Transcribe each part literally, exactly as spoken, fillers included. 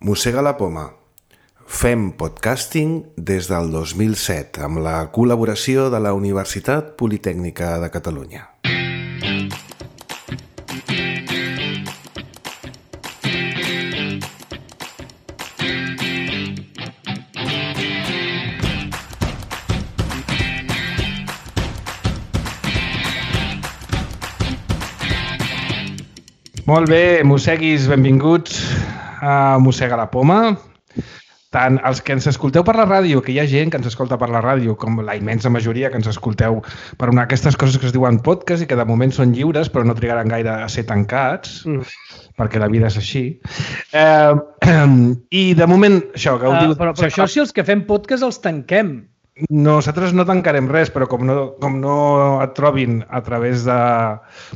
Mossega la poma. Fem podcasting des del dos mil set amb la col·laboració de la Universitat Politècnica de Catalunya. Molt bé, mosseguis, benvinguts a Mossega la poma. Tant els que ens escolteu per la ràdio, que hi ha gent que ens escolta per la ràdio, com la immensa majoria que ens escolteu per una d'aquestes coses que es diuen podcast i que de moment són lliures, però no trigaran gaire a ser tancats, mm. perquè la vida és així. Eh, I de moment, això, que ho uh, diu... Però, però això si els que fem podcast els tanquem. Nosaltres no tancarem res, però com no, com no et trobin a través de...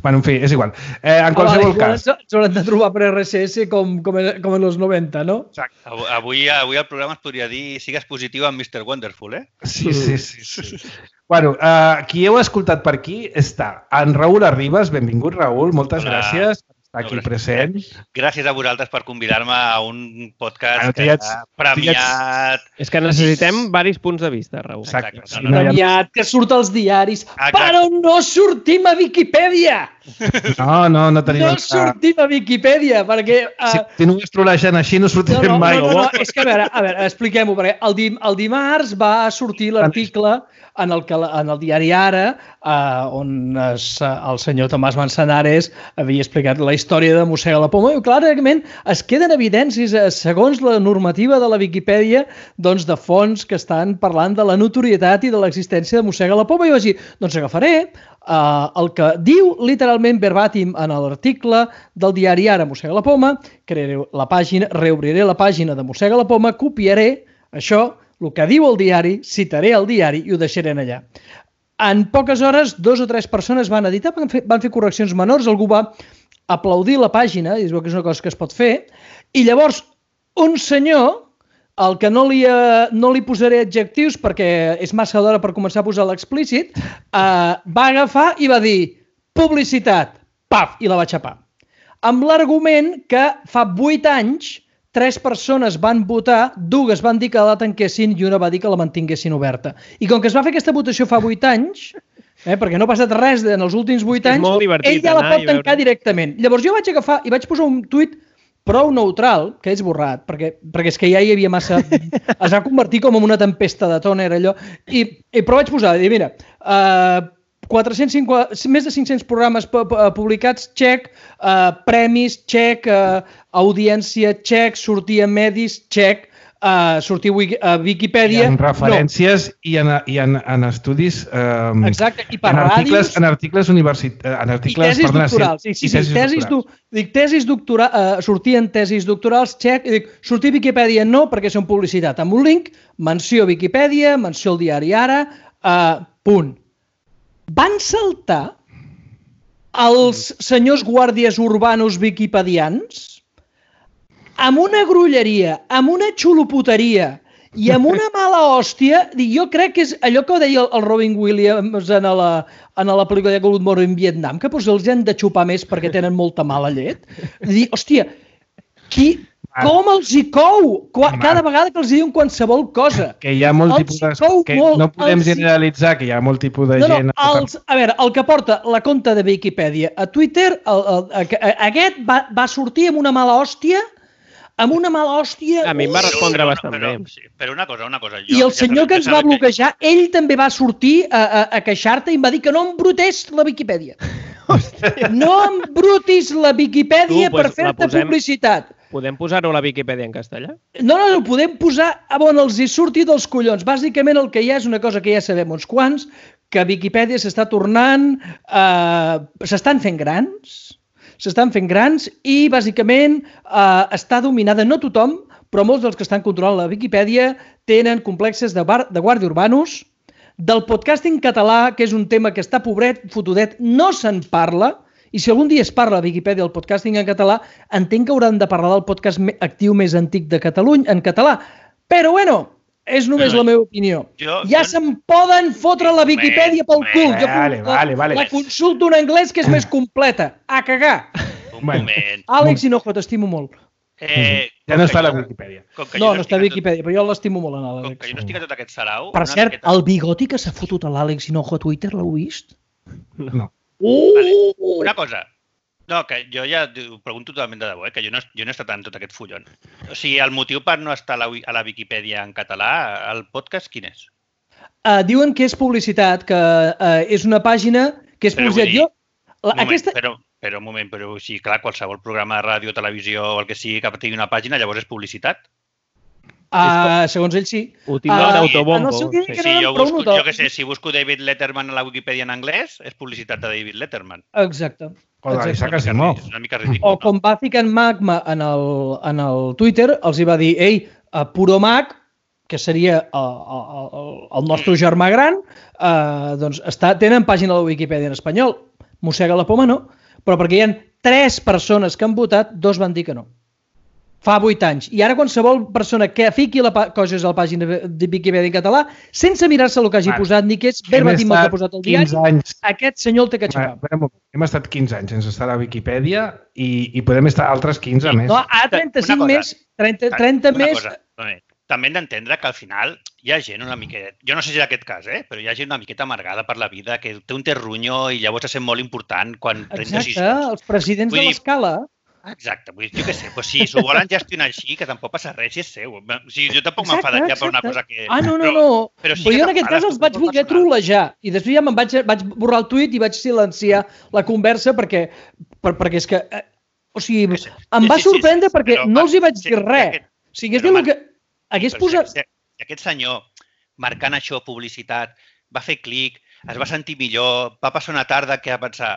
Bueno, en fi, és igual. Eh, en qualsevol oh, cas... Ens haurem de trobar per R S S com, com, en, com en els noventa, no? Exacte. Avui, avui el programa es podria dir sigues positiu amb mister Wonderful, eh? Sí, sí, sí. sí. Bueno, uh, qui heu escoltat per aquí està en Raül Arribas. Benvingut, Raül. Moltes Hola. gràcies per estar aquí no, present. Gràcies a vosaltres per convidar-me a un podcast que ets, ha premiat... És que necessitem diversos punts de vista, Raül. Exacte. Exacte. No, no, no. Premiat, que surt als diaris, Exacte. Però no sortim a Viquipèdia! No, no, no tenim... No sortim a Viquipèdia, perquè... Uh... Si continues trolejant així no sortirem no, no, mai. No, no, no, és que a veure, a veure expliquem-ho, perquè el, dim, el dimarts va sortir l'article en el, que, en el diari Ara, uh, on es, el senyor Tomàs Manzanares havia explicat la història de Mossega la poma, i clarament es queden evidències, segons la normativa de la Viquipèdia, doncs de fonts que estan parlant de la notorietat i de l'existència de Mossega la poma, i vaig dir, doncs agafaré uh, el que diu literalment verbatim en l'article del diari Ara, Mossega la poma, crearé la pàgina, reobriré la pàgina de Mossega la poma, copiaré això, el que diu el diari, citaré el diari i ho deixaré allà. En poques hores, dos o tres persones van editar, van fer, van fer correccions menors, algú va aplaudir la pàgina, i es veu que és una cosa que es pot fer, i llavors un senyor, al que no li, eh, no li posaré adjectius perquè és massa d'hora per començar a posar l'explícit, eh, va agafar i va dir publicitat, paf, i la va xapar. Amb l'argument que fa vuit anys tres persones van votar, dues van dir que la tanquessin i una va dir que la mantinguessin oberta. I com que es va fer aquesta votació fa vuit anys, eh, perquè no ha passat res en els últims vuit anys, ell ja la pot tancar veure... directament. Llavors jo vaig agafar i vaig posar un tuit prou neutral, que he esborrat, perquè, perquè és que ja hi havia massa... es va convertir com en una tempesta de tòner, allò. I, i, però vaig posar, dir, mira... Uh, quatre-cents cinquanta, més de cinc-cents programes publicats, xec, uh, premis, xec, uh, audiència, xec, sortir a medis, xec, uh, sortir a Viquipèdia... I en referències no. i, en, i en, en estudis... Um, Exacte, i per en articles, ràdios... En articles universitaris... En articles, I tesis perdona, doctorals. Sí, sí, sí, tesis tesis doctorals. Do, dic, tesis doctora, uh, sortir en tesis doctorals, xec, i dic, sortir a Viquipèdia no, perquè són publicitat. Amb un link, menció Viquipèdia, menció el diari Ara, uh, punt. Van saltar els senyors guàrdies urbanos viquipedians amb una grulleria, amb una xuloputeria i amb una mala hòstia. Jo crec que és allò que deia el Robin Williams en la, en la pel·lícula de Good Morning Vietnam, que doncs els han de xupar més perquè tenen molta mala llet. Dir, hòstia, qui... Com els hi cou? Cada vegada que els diuen qualsevol cosa. Que hi ha molt tipus de... Que no podem generalitzar que hi ha molt tipus de no, gent... No, els, a veure, el que porta la compte de Viquipèdia a Twitter, el, el, el, aquest va, va sortir amb una mala hòstia, amb una mala hòstia... A mi em va respondre no, no, bastant però, bé. Sí, però una cosa, una cosa... Jo, I el senyor ja que ens va bloquejar, que... ell també va sortir a, a, a queixar-te i em va dir que no embrutés la Viquipèdia. No embrutis la Viquipèdia tu, pues, per fer-te posem... publicitat. Podem posar-ho a la Viquipèdia en castellà? No, no, no, podem posar on els hi surti dels collons. Bàsicament el que hi ha és una cosa que ja sabem uns quants, que Viquipèdia s'està tornant... Eh, s'estan fent grans, s'estan fent grans i bàsicament eh, està dominada, no tothom, però molts dels que estan controlant la Viquipèdia tenen complexes de, bar, de guàrdia urbanos, del podcasting català, que és un tema que està pobret, fotudet, no se'n parla. I si algun dia es parla a Viquipèdia del podcasting en català, entenc que hauran de parlar del podcast actiu més antic de Catalunya en català. Però, bueno, és només no, la meva opinió. Jo, ja jo... se'n poden fotre la Viquipèdia pel cul. Jo vale, la, vale, vale. la consulto en anglès, que és més completa. A cagar. Un moment. Àlex Hinojo, t'estimo molt. Eh, Ja no està a la Wikipedia. No, no està a Wikipedia, però jo l'estimo molt en l'Àlex. Com que jo no estic a tot aquest sarau... Per cert, el bigoti que s'ha fotut a l'Àlex Hinojo a Twitter, l'heu vist? No. Uh! Una cosa, no, que jo ja ho pregunto totalment de debò, eh? Que jo no, jo no he estat en tot aquest follon. O sigui, el motiu per no estar a la, a la Viquipèdia en català, el podcast, quin és? Uh, diuen que és publicitat, que uh, és una pàgina que és Però publicitat. vull dir, Jo, la, Un moment, aquesta... però, però un moment, però sí, clar, qualsevol programa de ràdio, televisió o el que sigui que tingui una pàgina, llavors és publicitat. Uh, segons ell, sí. Ho tindrà Ah, d'autobombo. en el seu dia Sí. que Si no jo em busco, pregunto. jo què sé, si busco David Letterman a la Wikipedia en anglès, és publicitat de David Letterman. Exacte. O de Exacte. l'Isaac Asimov. És una mica ridícul. O com va ficar en Magma en el, en el Twitter, els hi va dir, ei, a Puro Mag, que seria el, el, el nostre germà gran, eh, doncs està, tenen pàgina a la Wikipedia en espanyol. Mossega la poma no, però perquè hi ha tres persones que han votat, dos van dir que no. Fa vuit anys. I ara qualsevol persona que fiqui la coses a la pàgina de Wikipedia en català, sense mirar-se el que hagi Vale. posat, ni que és verbatim el que ha posat el diari, quinze anys. aquest senyor el té que aixecar. Bueno, hem estat quinze anys sense estar a la Wikipedia i, i podem estar altres quinze més. No, ara trenta-cinc Una cosa. més, trenta, trenta Una més... cosa, moment. També hem d'entendre que al final hi ha gent una miqueta, jo no sé si és aquest cas, eh? Però hi ha gent una miqueta amargada per la vida, que té un terrunyo i llavors se sent molt important quan pren Exacte, decisions. els presidents Vull de dir- l'escala. Exacte, vull dir, jo què sé, doncs si s'ho volen gestionar així, que tampoc passa res, si és seu. O sigui, jo tampoc m'enfadaria per una cosa que... Ah, no, no, però, no. Però, sí però que jo en aquest t'enfades, cas els tu, vaig tu, voler personal. trolejar i després ja me'n vaig, vaig borrar el tuit i vaig silenciar la conversa perquè, per, perquè és que... Eh, o sigui, Que sí. em Sí, va sí, sí, sorprendre sí, perquè però, no els hi va, vaig sí, dir res. aquest- O sigui, és però, dir, man, que hagués Però posat... Si, si aquest senyor, marcant això, publicitat, va fer clic, es va sentir millor, va passar una tarda que va pensar,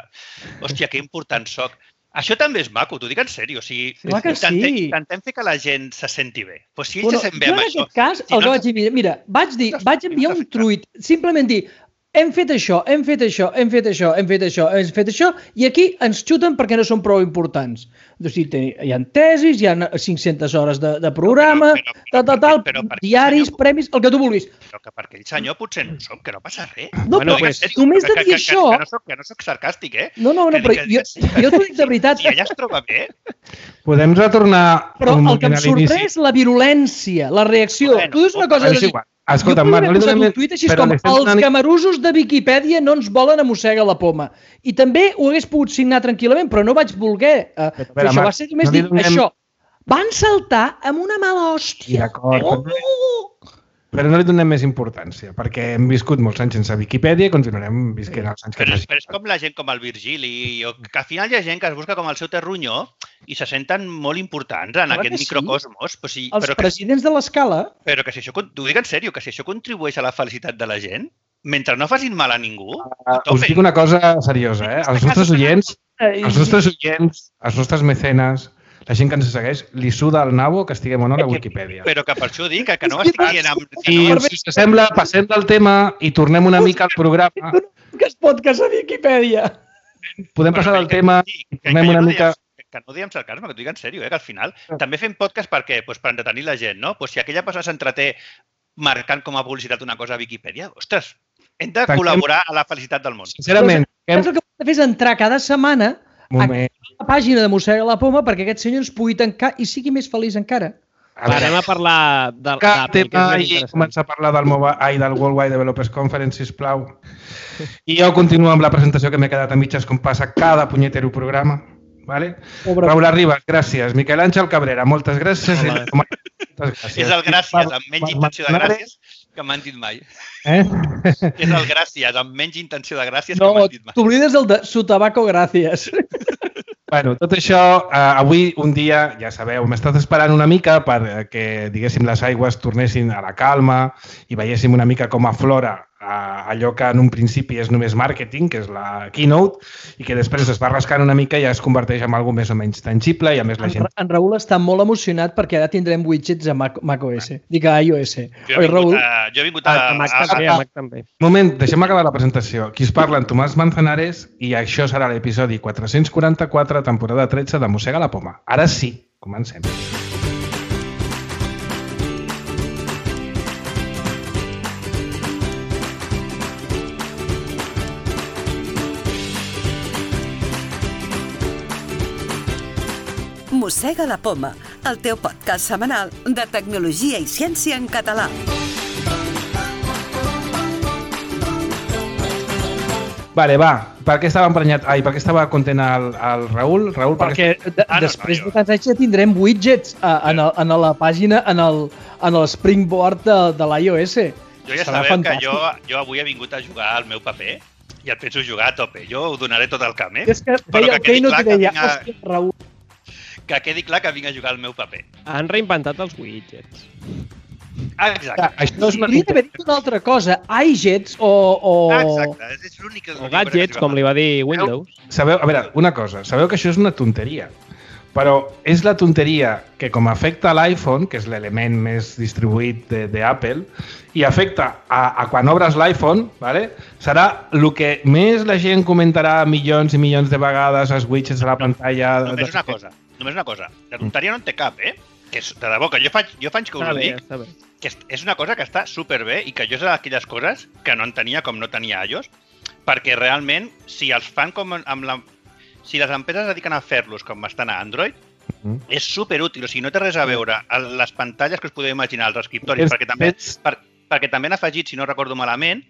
hòstia, que important soc. Això també és maco, t'ho dic en sèrio. O sigui, Clar que intentem, sí. intentem fer que la gent se senti bé. Pues si ell Bueno, se sent bé jo amb en això... aquest cas, si el que no vaig dir, mira, vaig dir, vaig enviar un tuit, simplement dir, hem fet això, hem fet això, hem fet això, hem fet això, hem fet això, i aquí ens xuten perquè no són prou importants. O sigui, hi ha tesis, hi ha cinc-centes hores de, de programa, Però- però- tal, tal, tal, però- però perquè diaris, senyor- premis, el que tu vulguis. Però que per aquell senyor potser no som, que no passa res. No, Bueno, però pues, només de que, dir que, que, això... Que no, soc, que no soc sarcàstic, eh? No, no, no, Que- però que- jo, que- jo t'ho dic de veritat. Si ella es troba bé, Podem retornar Però un el moment que em a l'inici. sorprèn és la virulència, la reacció. Bueno, Tu dius una cosa... és igual. Escolta, jo Marc, podria no li posar donem... un tuit així però com li estem els donant- camarusos de Viquipèdia no ens volen a mossega la poma. I també ho hagués pogut signar tranquil·lament, però no vaig voler uh, fer veure, això. Marc, Va ser només no li dir donem- això. Van saltar amb una mala Sí, hòstia. d'acord, Oh! però- Però no li donem més importància, perquè hem viscut molts anys sense Viquipèdia i continuarem visquent els anys que però, faci. però és com la gent com el Virgili, o que al final hi ha gent que es busca com el seu terrunyo i se senten molt importants en Clar aquest que sí. microcosmos. Però, sí, Els però, que, presidents de l'escala... però que si això, t'ho dic en sèrio, que si això contribueix a la felicitat de la gent, mentre no facin mal a ningú, a Us tope. dic una cosa seriosa, eh? Els nostres oients, Eh, els nostres oients, els nostres mecenes, la gent que ens segueix, li suda el nabo que estiguem o no a la Wikipedia. Però que per això dic que, que no estic dient amb... Que I, no, si us sembla, passem del tema i tornem una mica al programa. Que es podcast a Viquipèdia. Podem passar del tema sí, i que, que, tornem jo una no mica... diem, que no diem sarcasme, que t'ho dic en sèrio, eh, que al final també fem podcast per què? Pues per entretenir la gent, no? Pues si aquella persona s'entreté marcant com a publicitat una cosa a Viquipèdia, ostres, hem de Tanquem- col·laborar a la felicitat del món. Sincerament, hem... El que hem de fer és entrar cada setmana Moment. a la pàgina de Mossega la Poma perquè aquest senyor ens pugui tancar i sigui més feliç encara. A Va, veure, anem a parlar de, Cap d'Apple, que és tema més i interessant. començar a parlar del, Mobile, ai, del World Wide Developers Conference, sisplau. I jo continuo amb la presentació que m'he quedat a mitges com passa cada punyetero programa. Vale? Pobre... Raül Arribas, gràcies. Miquel Àngel Cabrera, moltes gràcies. Hola. I... Moltes gràcies. És el gràcies amb menys intenció de gràcies que m'han dit mai. Eh? És el gràcies amb menys intenció de gràcies No, que m'han dit mai. t'oblides el de su tabaco, gràcies. Bueno, tot això, eh, avui un dia, ja sabeu, hem estat esperant una mica perquè, diguéssim, les aigües tornessin a la calma i veiéssim una mica com aflora eh, allò que en un principi és només màrqueting, que és la keynote, i que després es va rascant una mica i ja es converteix en alguna més o menys tangible i a més la En, gent... en Raül està molt emocionat perquè ara tindrem widgets a Mac, macOS. Dic a iOS. Jo he Oi, vingut Raül? a... Jo he vingut a, A, a Mac a, també, a Mac també. Moment, deixem acabar la presentació. Qui es parla en Tomàs Manzanares i això serà l'episodi quatre-cents quaranta-quatre, temporada tretze de Mossega la Poma. Ara sí, comencem. Mossega la Poma, el teu podcast setmanal de tecnologia i ciència en català. Vale, va. Per què estava emprenyat? Ai, per què estava content el, el Raül? Raül, perquè de, Ah, no, després no, de tants anys ja tindrem widgets a, en, el, en la pàgina, en el, en el Springboard de, de l'iOS. Jo ja Serà sabeu fantàstic. que jo, jo avui he vingut a jugar al meu paper i el penso jugar a tope. Jo ho donaré tot el camp, eh? És que Però veia el quedi Keino clar i que deia, vinc a- hòstia, Raül, Que quedi clar que vinc a jugar al meu paper. Han reinventat els widgets. Ah, exacte. Ah, això és una... podria haver dit una altra cosa, iJets o... o... Ah, exacte. És, és l'única... O gadgets, com li va dir Windows. Sabeu, a veure, una cosa. Sabeu que això és una tonteria. Però és la tonteria que com afecta a l'iPhone, que és l'element més distribuït d'Apple, i afecta a, a quan obres l'iPhone, ¿vale? Serà el que més la gent comentarà milions i milions de vegades als widgets de la pantalla... Només una cosa. Només una cosa. La tonteria no en té cap, eh? Que és, de debò, que jo faig, jo faig que us Està ho bé, dic, està bé. que és, és una cosa que està superbé i que jo és d'aquelles coses que no entenia com no tenia iOS, perquè realment, si els fan com amb la... Si les empreses es dediquen a fer-los com estan a Android, Mhm. és superútil. O sigui, no té res a veure amb les pantalles que us podeu imaginar, els escriptoris, És- perquè també, és- per, perquè també han afegit, si no recordo malament,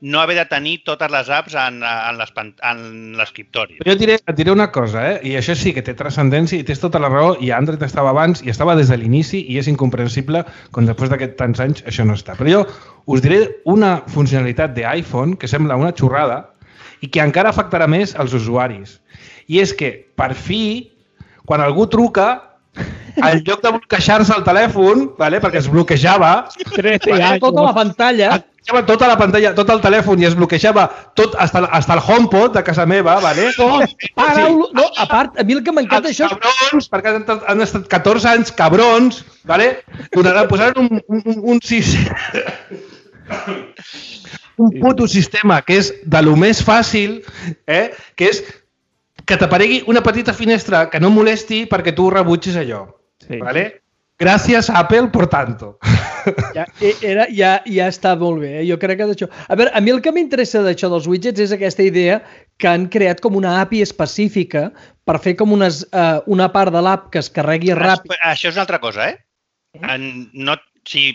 no haver de tenir totes les apps en, en les pan- en l'escriptori. Però jo et diré, et diré una cosa, eh? I això sí que té transcendència i tens tota la raó, i Android estava abans i estava des de l'inici i és incomprensible com després d'aquests tants anys això no està. Però jo us diré una funcionalitat d'iPhone que sembla una xorrada i que encara afectarà més als usuaris. I és que, per fi, quan algú truca, en lloc de bloquejar-se el telèfon, vale? Perquè es bloquejava, trece Veia anys. tota la pantalla. es bloquejava tota la pantalla, tot el telèfon i es bloquejava tot, hasta, hasta el HomePod de casa meva, vale? No, para, no, a part, a mi el que m'encanta Els això és... cabrons, perquè han estat, han estat catorze anys cabrons, vale? Donaran, posaran un, un, un, un, sis... un puto sistema que és de lo més fàcil, eh? Que és que t'aparegui una petita finestra que no molesti perquè tu rebutgis allò. Sí. Vale? Gràcies, Apple, por tanto. Ja, era, ja, ja està molt bé, eh? Jo crec que d'això... A veure, a mi el que m'interessa d'això dels widgets és aquesta idea que han creat com una A P I específica per fer com unes, uh, una part de l'app que es carregui ràpid. Això és una altra cosa, eh? En, no, si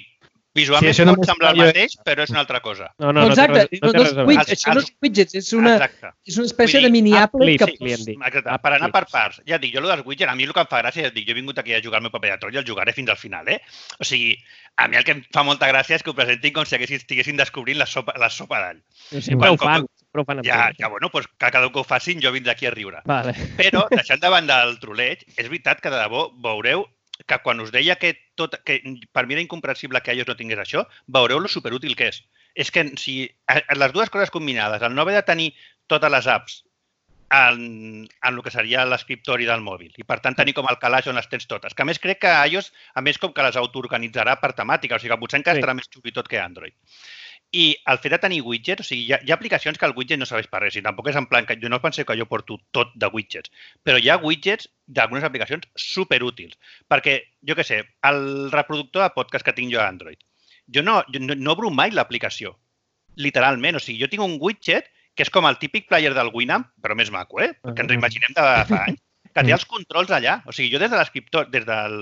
visualment Sí, sí, això pot només semblar el jo- mateix, però és una altra cosa. No, No, no, no, té exacte, res, no té no, res a no, veure. widgets, això no és widgets, és una, Exacte. és una espècie Vull dir, de mini app applet que... clip, li hem dit. Exacte, App per anar clip. per parts. Ja et dic, jo el dels widgets, a mi el que em fa gràcia, ja et dic, jo he vingut aquí a jugar el meu paper de troll i el jugaré fins al final, eh? O sigui, a mi el que em fa molta gràcia és que ho presentin com si haguessin, estiguessin descobrint la sopa, la sopa d'all. Sempre Quan- ho fan, com- sempre ho fan. amb Ja, tot. ja, bueno, doncs que cada un que ho facin, jo vindré aquí a riure. Vale. Però, deixant de banda el troleig, és veritat que de debò veureu que quan us deia que, tot, que per mi era incomprensible que iOS no tingués això, veureu lo superútil que és. És que si a- a les dues coses combinades, el no haver de tenir totes les apps en, en el que seria l'escriptori del mòbil i per tant tenir com el calaix on les tens totes, que a més crec que iOS, a més com que les autoorganitzarà per temàtica, o sigui que potser encara Sí. estarà més xuli tot que Android. I el fet de tenir widgets, o sigui, hi ha, hi ha aplicacions que el widget no serveix per res, i tampoc és en plan que jo no penseu que jo porto tot de widgets, però hi ha widgets d'algunes aplicacions superútils, perquè, jo què sé, el reproductor de podcast que tinc jo a Android, jo no, jo no, no obro mai l'aplicació, literalment, o sigui, jo tinc un widget que és com el típic player del Winamp, però més maco, eh? Perquè ens ho imaginem de fa anys, que té els controls allà, o sigui, jo des de l'escriptor, des del...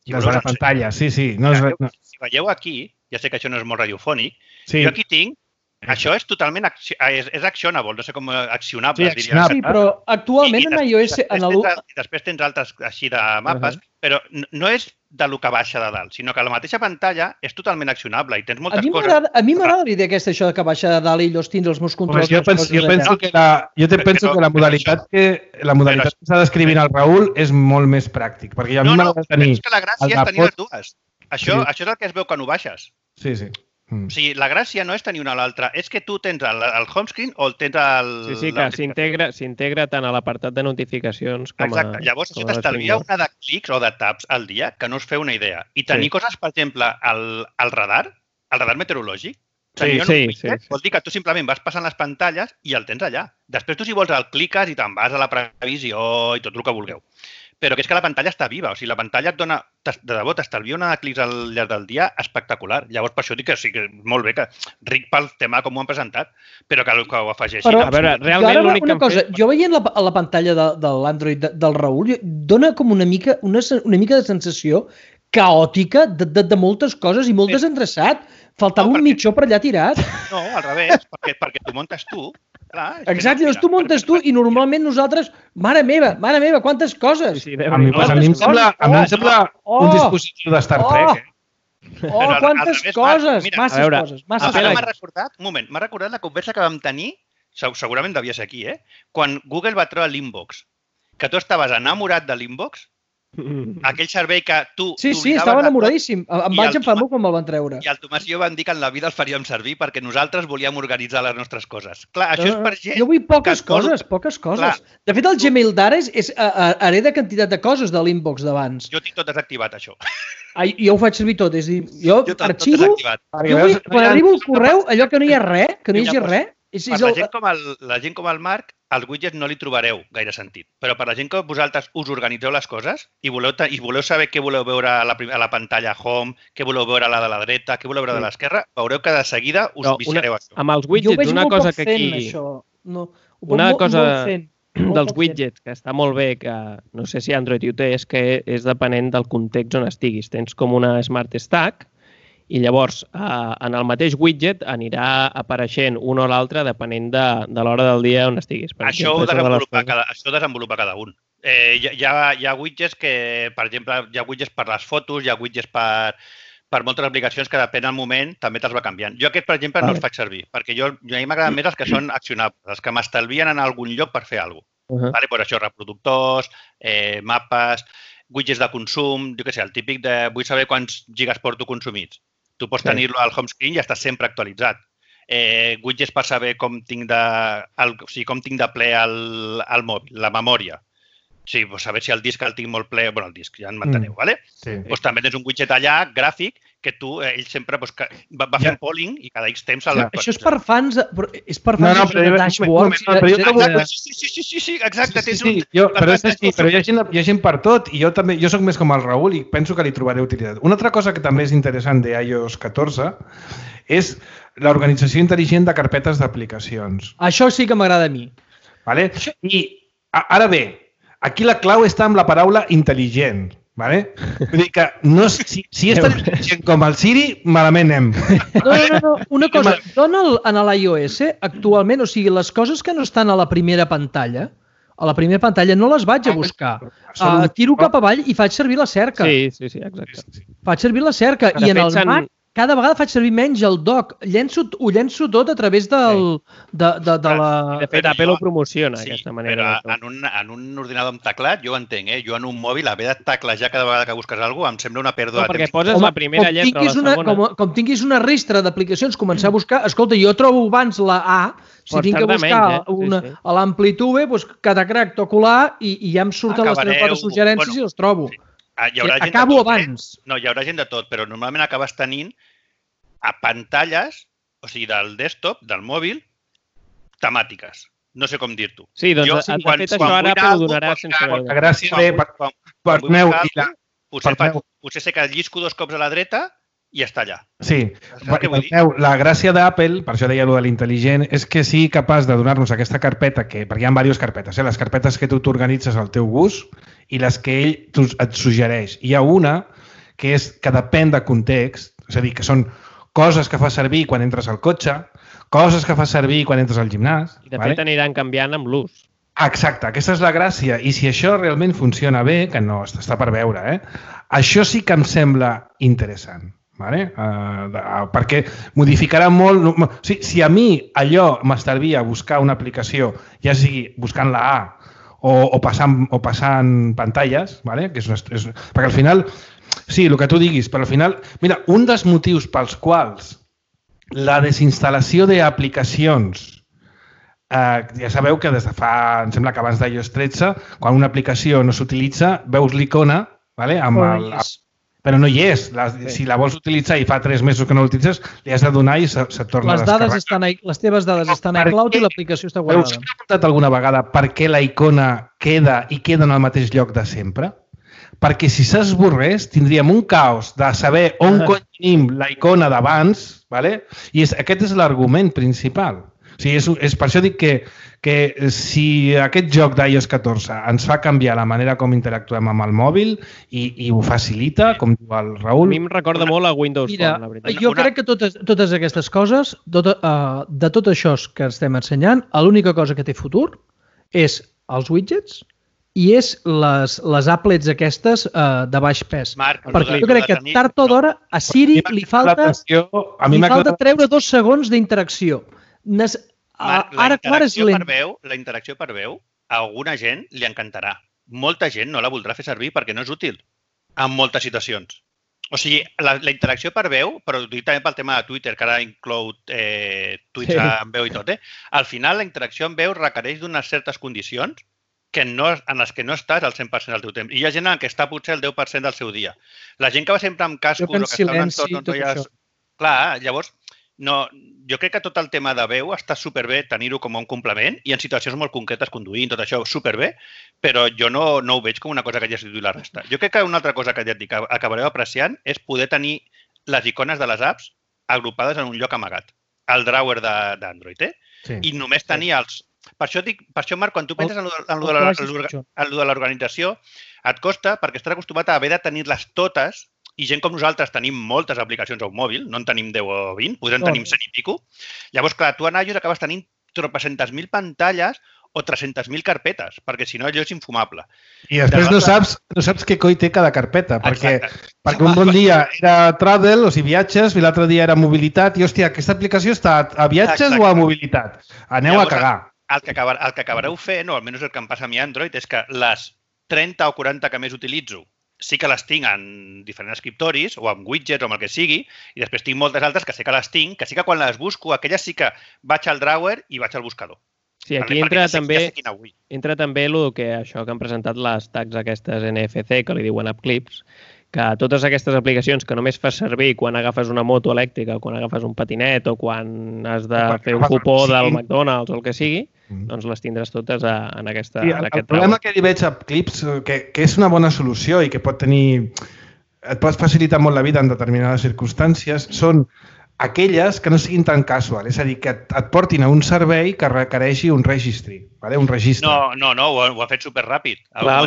si Des voleu, de la us ensenyo. pantalla, sí, sí. No és, Veieu- no. Si veieu aquí, ja sé que això no és molt radiofònic, Sí, jo aquí tinc, això és totalment, acci- és, és actionable, no sé com accionable, Sí, es diria. accionable. Sí, però actualment en després- iOS... després En el... tens al- I després tens altres així de mapes, però no- no és de lo que baixa de dalt, sinó que la mateixa pantalla és totalment accionable i tens A moltes mi coses. m'agrada a mi m'agrada la idea aquesta, això de que baixa de dalt i llavors tindre els meus Pues controls. jo les penso, coses jo allà. penso que la, jo te Però- penso que la però modalitat que la modalitat que està descrivint el Raül és molt més pràctic, perquè a mi No, no, m'agrada però tenir... és que la gràcia el és tenir de les dues. Això, Sí. això és el que es veu quan ho baixes. Sí, sí. Mm. O sigui, la gràcia no és tenir una a l'altra, és que tu tens el, el home screen o el tens el... Sí, sí, la que s'integra s'integra tant a l'apartat de notificacions com a... Exacte. Llavors, això com a t'estalvia l'Springboard. una de clics o de taps al dia que no us feu una idea. I tenir Sí. coses, per exemple, al, al radar, al radar meteorològic, Sí, tenir sí, un widget, sí, sí. vol dir que tu simplement vas passant les pantalles i el tens allà. Després tu, si vols, el cliques i te'n vas a la previsió i tot el que vulgueu. però que és que la pantalla està viva. O sigui, la pantalla et dona, de debò, t'estalvia una de clics al llarg del dia espectacular. Llavors, per això dic que sí, que molt bé, que ric pel tema com ho han presentat, però que, que ho afegeixin. Però, a veure, realment l'únic que han cosa, fet... Jo veient la, la pantalla de, de l'Android de, del Raül, dona com una mica, una, una mica de sensació caòtica de, de, de moltes coses i molt Sí. desendreçat. Faltava No, un perquè- mitjó per allà tirat. No, al revés, perquè, perquè tu montes tu. Clar, és que Exacte, no, doncs tu mira, muntes perquè- tu i normalment nosaltres, mare meva, mare meva, quantes coses! Sí, A mi, pues, a mi em sembla, a mi em sembla Oh! un dispositiu de Star Trek, eh? Oh, Però al- al quantes revés, coses! Marc, mira, Masses a veure, coses, masses Ara m'ha coses. recordat, un moment, m'ha recordat la conversa que vam tenir, seg- segurament devia ser aquí, eh? Quan Google va treure l'Inbox, que tu estaves enamorat de l'Inbox, aquell servei que tu Sí, sí, t'oblidaves estava de tot, enamoradíssim. Em I vaig el enfadar Tomàs- quan me'l van treure. i el Tomàs i jo vam dir que en la vida el faríem servir perquè nosaltres volíem organitzar les nostres coses. Clar, això No, és no, per no. gent... Jo vull poques que es vol- coses, poques coses. Clar. De fet, el Gmail d'ara és, és a, a, hereda quantitat de coses de l'inbox d'abans. Jo tinc tot desactivat, això. Ai, jo ho faig servir tot, és a dir, jo, Jo tot, tot arxivo, desactivat. Perquè jo veus, vull, quan no hi ha- arribo al correu, allò que no hi ha res, que no hi Vinga, hagi doncs, res, és, Per és la el, gent, com el, la gent com el Marc, als widgets no li trobareu gaire sentit. Però per la gent que vosaltres us organitzeu les coses i voleu, te- i voleu saber què voleu veure a la, prim- a la pantalla home, què voleu veure a la de la dreta, què voleu veure de l'esquerra, veureu que de seguida us No, viciareu una, això. amb els jo ho widgets, veig una molt cosa poc que fent, aquí... això. No, ho veig Una molt, cosa molt fent, molt dels poc fent. widgets que està molt bé, que no sé si Android ho té, és que és depenent del context on estiguis. Tens com una Smart Stack i llavors eh, en el mateix widget anirà apareixent un o l'altre depenent de, de l'hora del dia on estiguis. Per Això ho, exemple, és una de les desenvolupa coses- cada, això ho desenvolupa cada un. Eh, hi, ha- hi, ha, hi ha widgets que, per exemple, hi ha widgets per les fotos, hi ha widgets per, per moltes aplicacions que depèn del moment també te'ls va canviant. Jo aquest, per exemple, no els faig servir, perquè jo, jo a mi m'agraden més els que són accionables, els que m'estalvien en algun lloc per fer alguna cosa. Uh -huh. Vale? Pues això, reproductors, eh, mapes, widgets de consum, jo què sé, el típic de vull saber quants gigas porto consumits. Tu pots Sí. tenir-lo al home screen i està sempre actualitzat. Eh, widgets per saber com tinc de, el, o sigui, com tinc de ple el, el mòbil, la memòria. Sí, pues saber si el disc el tinc molt ple, bueno, el disc, ja en m'enteneu, Mm. vale? Sí. Pues també tens un widget allà, gràfic, que tu, eh, ell sempre pues, que va, va fent Ja. polling i cada X temps el Ja. Això és per fans, de- però és per No, fans no, de però jo- dashboards. no, però jo de- no de- vull- de- Sí, sí, sí, sí, sí, exacte. Sí, tens sí, sí. un- Jo, però, és per així, tant, però hi ha, gent, hi ha gent per tot i jo també, jo sóc més com el Raül i penso que li trobaré utilitat. Una altra cosa que també és interessant de i O S catorze és l'organització intel·ligent de carpetes d'aplicacions. Això sí que m'agrada a mi. Vale? I a- ara bé, aquí la clau està amb la paraula intel·ligent. Vale? Vull dir que no, és- si, si és tan intel·ligent com el Siri, malament anem. No, no, no, no. Una cosa, jo en el- en l'iOS actualment, o sigui, les coses que no estan a la primera pantalla, a la primera pantalla no les vaig a buscar. Uh, tiro cap avall i faig servir la cerca. Sí, sí, sí, exacte. Faig servir la cerca. De I en fet, el s'han- Mac cada vegada faig servir menys el dock. Llenço, ho llenço tot a través del, de, de, de la... De fet, Però Apple jo- ho promociona, Sí, aquesta manera. però en un, en un ordinador amb teclat jo ho entenc, eh? Jo en un mòbil haver de teclejar cada vegada que busques alguna cosa em sembla una pèrdua No, de perquè temps. poses Home, la primera com lletra o la tinguis una, segona. com, com tinguis una ristra d'aplicacions, començar a buscar... Escolta, jo trobo abans la A, si Pots tinc que tardar buscar menys, eh? Sí, una, sí. a l'amplitude, doncs cada crac toco l'A i, i ja em surten les Acabareu- tres quatre suggerències bueno, i les trobo. Sí. Ah, hi haurà Sí, gent de acabo tot, eh? abans. No, hi haurà gent de tot, però normalment acabes tenint a pantalles, o sigui, del desktop, del mòbil, temàtiques. No sé com dir-t'ho. Sí, doncs Jo, de, sí, de quan- fet quan això ara vull Apple ho algo, donarà doncs, sense clar, veure. La gràcia de... Per, Quan, per vull meu, buscar i la, alguna cosa, potser, per faig, meu. potser sé que llisco dos cops a la dreta i ja està allà. Sí, Saps què vull dir? Bartomeu, la gràcia d'Apple, per això deia allò de l'intel·ligent, és que sigui capaç de donar-nos aquesta carpeta, que, perquè hi ha diverses carpetes, eh? Les carpetes que tu t'organitzes al teu gust i les que ell tu, et suggereix. Hi ha una que és que depèn de context, és a dir, que són coses que fas servir quan entres al cotxe, coses que fas servir quan entres al gimnàs. I de vale? fet aniran canviant amb l'ús. Exacte, aquesta és la gràcia. I si això realment funciona bé, que no, està per veure, eh? Això sí que em sembla interessant. Vale? Uh, de, uh, perquè modificarà molt... No, o sigui, si a mi allò m'estalvia buscar una aplicació, ja sigui buscant la A o, o, passant, o passant pantalles, vale? Que és una, és, perquè al final, sí, el que tu diguis, però al final... Mira, un dels motius pels quals la desinstal·lació d'aplicacions, eh, ja sabeu que des de fa, em sembla que abans d'iOS tretze, quan una aplicació no s'utilitza, veus l'icona, vale? amb el, Yes. però no hi és. La, sí. Si la vols utilitzar i fa tres mesos que no l'utilitzes, li has de donar i se, se torna les a descarregar. Dades estan a, les teves dades estan a iCloud i l'aplicació està guardada. Us heu preguntat alguna vegada per què la icona queda i queda en el mateix lloc de sempre? Perquè si s'esborrés tindríem un caos de saber on cony tenim la icona d'abans, ¿vale? I és, aquest és l'argument principal. O sigui, és, és per això dic que, que si aquest joc d'i o ess catorze ens fa canviar la manera com interactuem amb el mòbil i, i ho facilita, com diu el Raül... A mi em recorda molt a Windows Mira, Phone, la veritat. Jo crec que totes, totes aquestes coses, tot, uh, de tot això que estem ensenyant, l'única cosa que té futur és els widgets i és les, les applets aquestes uh, de baix pes. Marc, perquè jo crec que tard o d'hora a Siri li falta, li falta treure dos segons d'interacció. Nes... Marc, la, interacció per veu, la interacció per veu a alguna gent li encantarà. Molta gent no la voldrà fer servir perquè no és útil en moltes situacions. O sigui, la, la interacció per veu, però dic també pel tema de Twitter, que ara inclou eh, tuits sí. en veu i tot, eh? Al final la interacció en veu requereix d'unes certes condicions que no, en les que no estàs al cent per cent del teu temps. I hi ha gent en què està potser el deu per cent del seu dia. La gent que va sempre amb cascos o que està en un entorn on no hi ha... Clar, llavors, no, jo crec que tot el tema de veu està superbé tenir-ho com un complement i en situacions molt concretes conduint, tot això superbé, però jo no, no ho veig com una cosa que hagi substituït la resta. Jo crec que una altra cosa que ja et dic, acabareu apreciant és poder tenir les icones de les apps agrupades en un lloc amagat. El drawer d'Android, eh? Sí. I només tenir els... Per això, dic, per això, Marc, quan tu penses en el de l'organització, et costa perquè estàs acostumat a haver de tenir-les totes i gent com nosaltres tenim moltes aplicacions a un mòbil, no en tenim deu o vint, podrem tenir cent i pico. Llavors, clar, tu en iOS acabes tenint tropecentes mil pantalles o tres-centes mil carpetes, perquè si no allò és infumable. I després no saps, no saps què coi té cada carpeta, perquè, perquè un bon dia era travel, o sigui, viatges, i l'altre dia era mobilitat, i hòstia, aquesta aplicació està a viatges Exacte. o a mobilitat? Aneu Llavors, a cagar. El que, acabar, el que acabareu fent, o almenys el que em passa a mi a Android, és que les trenta o quaranta que més utilitzo sí que les tinc en diferents escriptoris o en widgets o amb el que sigui, i després tinc moltes altres que sé que les tinc, que sí que quan les busco, aquelles sí que vaig al drawer i vaig al buscador. Sí, aquí vale, entra, també, ja entra també el que, això que han presentat les tags aquestes N F C, que li diuen App Clips, que totes aquestes aplicacions que només fas servir quan agafes una moto elèctrica, quan agafes un patinet o quan has de fer un cupó del McDonald's o el que sigui, doncs les tindràs totes a, en, aquesta, sí, en aquest el problema que hi veig a Clips, que, que és una bona solució i que pot tenir... et pot facilitar molt la vida en determinades circumstàncies, són aquelles que no siguin tan casual, és a dir, que et, et portin a un servei que requereixi un registry, vale? Un registre. No, no, no, ho ha, ho ha fet superràpid. Clar, ho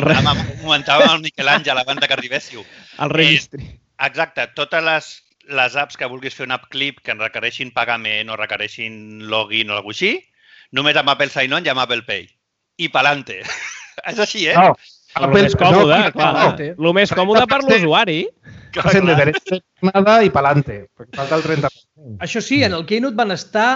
comentàvem amb el Miquel Àngel abans de que arribéssiu. El registry. Eh, exacte, totes les, les apps que vulguis fer un app clip que en requereixin pagament o requereixin login o alguna cosa així, només amb Apple Sign-On i amb Apple Pay. I pa'lante. És així, eh? No. El més còmode, no, clar. No. El més còmode per l'usuari. Clar, de derecha nada i pa'lante, perquè falta el trenta per cent. Això sí, en el Keynote van estar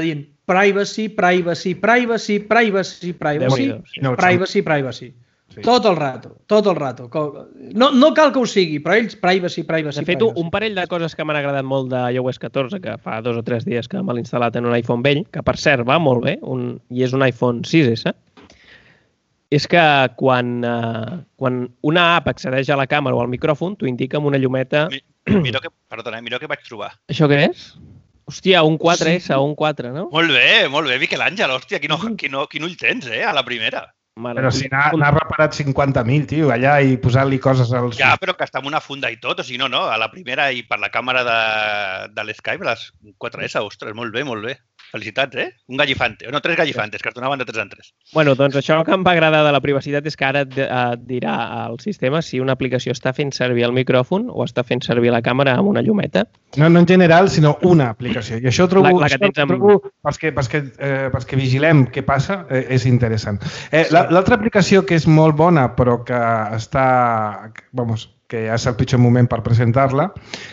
dient privacy, privacy, privacy, privacy, privacy, no, privacy, privacy. Sí. Tot el rato, tot el rato. No, no cal que ho sigui, però ells privacy, privacy, De fet, privacy. un parell de coses que m'han agradat molt de i O S catorze, que fa dos o tres dies que me l'he instal·lat en un iPhone vell, que per cert va molt bé, un, i és un iPhone sis essa, és que quan, uh, quan una app accedeix a la càmera o al micròfon, t'ho indica amb una llumeta... Mira que, perdona, mira que vaig trobar. Això què és? Hòstia, un quatre essa o un quatre, no? Molt bé, molt bé, Miquel Àngel, hòstia, quin, quin, quin ull tens, eh, a la primera. Mare, però si n'ha reparat cinquanta mil, tio, allà i posant-li coses als... Ja, però que està amb una funda i tot, o sigui, no, no, a la primera i per la càmera de, de l'Skype, les quatre essa, ostres, molt bé, molt bé. Felicitats, eh? Un gallifante, o no, tres gallifantes, que es donaven de tres en tres. Bueno, doncs això que em va agradar de la privacitat és que ara et dirà al sistema si una aplicació està fent servir el micròfon o està fent servir la càmera amb una llumeta. No, no en general, sinó una aplicació. I això ho trobo, la, la que tens amb... trobo pels, que, pels, que, eh, pels que vigilem què passa, eh, és interessant. Eh, sí. L'altra aplicació que és molt bona, però que està... Vamos, que ja és el pitjor moment per presentar-la,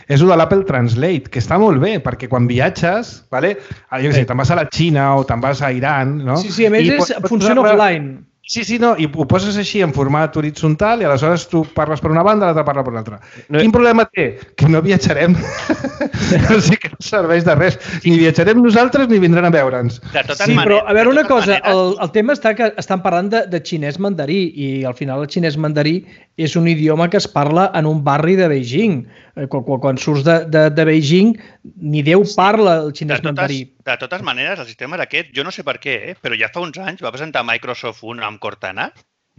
és el de l'Apple Translate, que està molt bé, perquè quan viatges, vale? Jo què sé, te'n vas a la Xina o te'n vas a Iran, no? Sí, sí, a més és, funciona offline. Sí, sí, no, i ho poses així en format horitzontal i aleshores tu parles per una banda i l'altra parla per l'altra. No, Quin problema té? Que no viatjarem. O sigui que no serveix de res. Ni viatjarem nosaltres ni vindran a veure'ns. Sí, maneres, però a veure una cosa, maneres... el, el tema està que estan parlant de, de xinès mandarí i al final el xinès mandarí és un idioma que es parla en un barri de Beijing. Quan, quan surts de, de, de Beijing, ni Déu parla el xinès de totes, mandarí. De totes maneres, el sistema d'aquest, jo no sé per què, eh, però ja fa uns anys va presentar Microsoft un amb Cortana,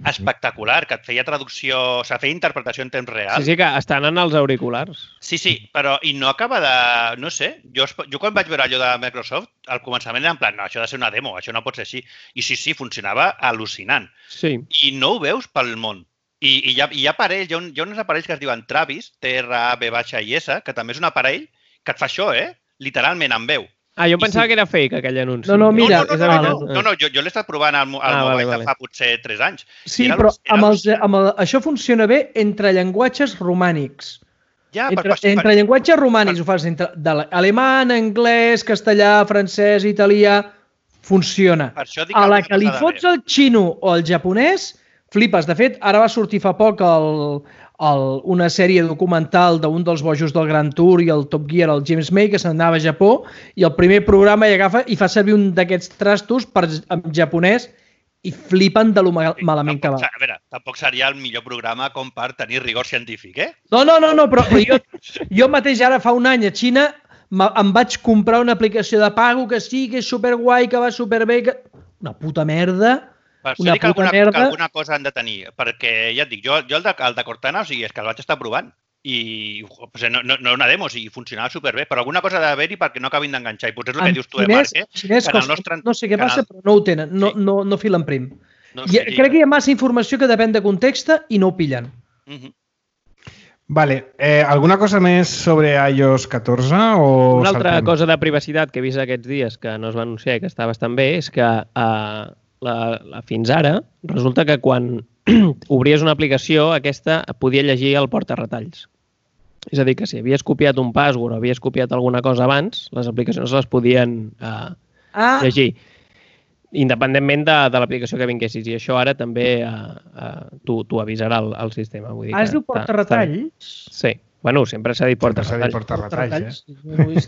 espectacular, que et feia traducció, o sigui, feia interpretació en temps real. Sí, sí, que estan en els auriculars. Sí, sí, però i no acaba de... No sé, jo, jo quan vaig veure allò de Microsoft, al començament era en plan, no, això ha de ser una demo, això no pot ser així. I sí, sí, funcionava al·lucinant. Sí. I no ho veus pel món. I, i hi, ha, hi ha aparells, hi ha, un, hi ha uns aparells que es diuen Travis, T R A V I S, que també és un aparell que et fa això, eh? Literalment, amb veu. Ah, jo pensava sí. que era fake, aquell anunci. No, no, mira... No, no, no, no, no, no, no jo, jo l'he estat provant al, al ah, mobile vale, vale. fa potser tres anys. Sí, però amb els, amb el, això funciona bé entre llenguatges romànics. Ja, entre, per, per, entre per, llenguatges romànics, per, ho fas entre alemany, anglès, castellà, francès, italià, funciona. A la que li fots el xino o el japonès, flipes. De fet, ara va sortir fa poc el, el, una sèrie documental d'un dels bojos del Grand Tour i el Top Gear, el James May, que se'n anava a Japó, i el primer programa hi agafa i fa servir un d'aquests trastos per, en japonès i flipen de lo malament que va. A veure, tampoc seria el millor programa com per tenir rigor científic, eh? No, no, no, no però jo, jo mateix ara fa un any a Xina em vaig comprar una aplicació de pago que sí, que és superguai, que va superbé, que... una puta merda... Per això dic que alguna, que alguna cosa han de tenir, perquè ja et dic, jo, jo el, de, el de Cortana, o sigui, és que el vaig estar provant i o sigui, no, no, no una demo, o sigui, funcionava superbé, però alguna cosa ha d'haver-hi perquè no acabin d'enganxar. I potser és el que dius tu, eh, Marc, eh? Xinès, que el nostre... No sé què passa, però no ho tenen, no, sí. no, no filen prim. No I, crec que hi ha massa informació que depèn de context i no ho pillen. Uh -huh. Vale, eh, alguna cosa més sobre i O S catorze? O una altra saltem? cosa de privacitat que he vist aquests dies que no es va anunciar i que està bastant bé és que eh, La, la, fins ara, resulta que quan obries una aplicació, aquesta podia llegir el porta-retalls. És a dir, que si havies copiat un password o havies copiat alguna cosa abans, les aplicacions les podien eh, ah. llegir, independentment de, de l'aplicació que vinguessis. I això ara també eh, eh, t'ho avisarà el, el sistema. Vull dir ah, es diu porta-retalls? Sí. Bueno, sempre s'ha dit porta-retalls. Porta-retalls,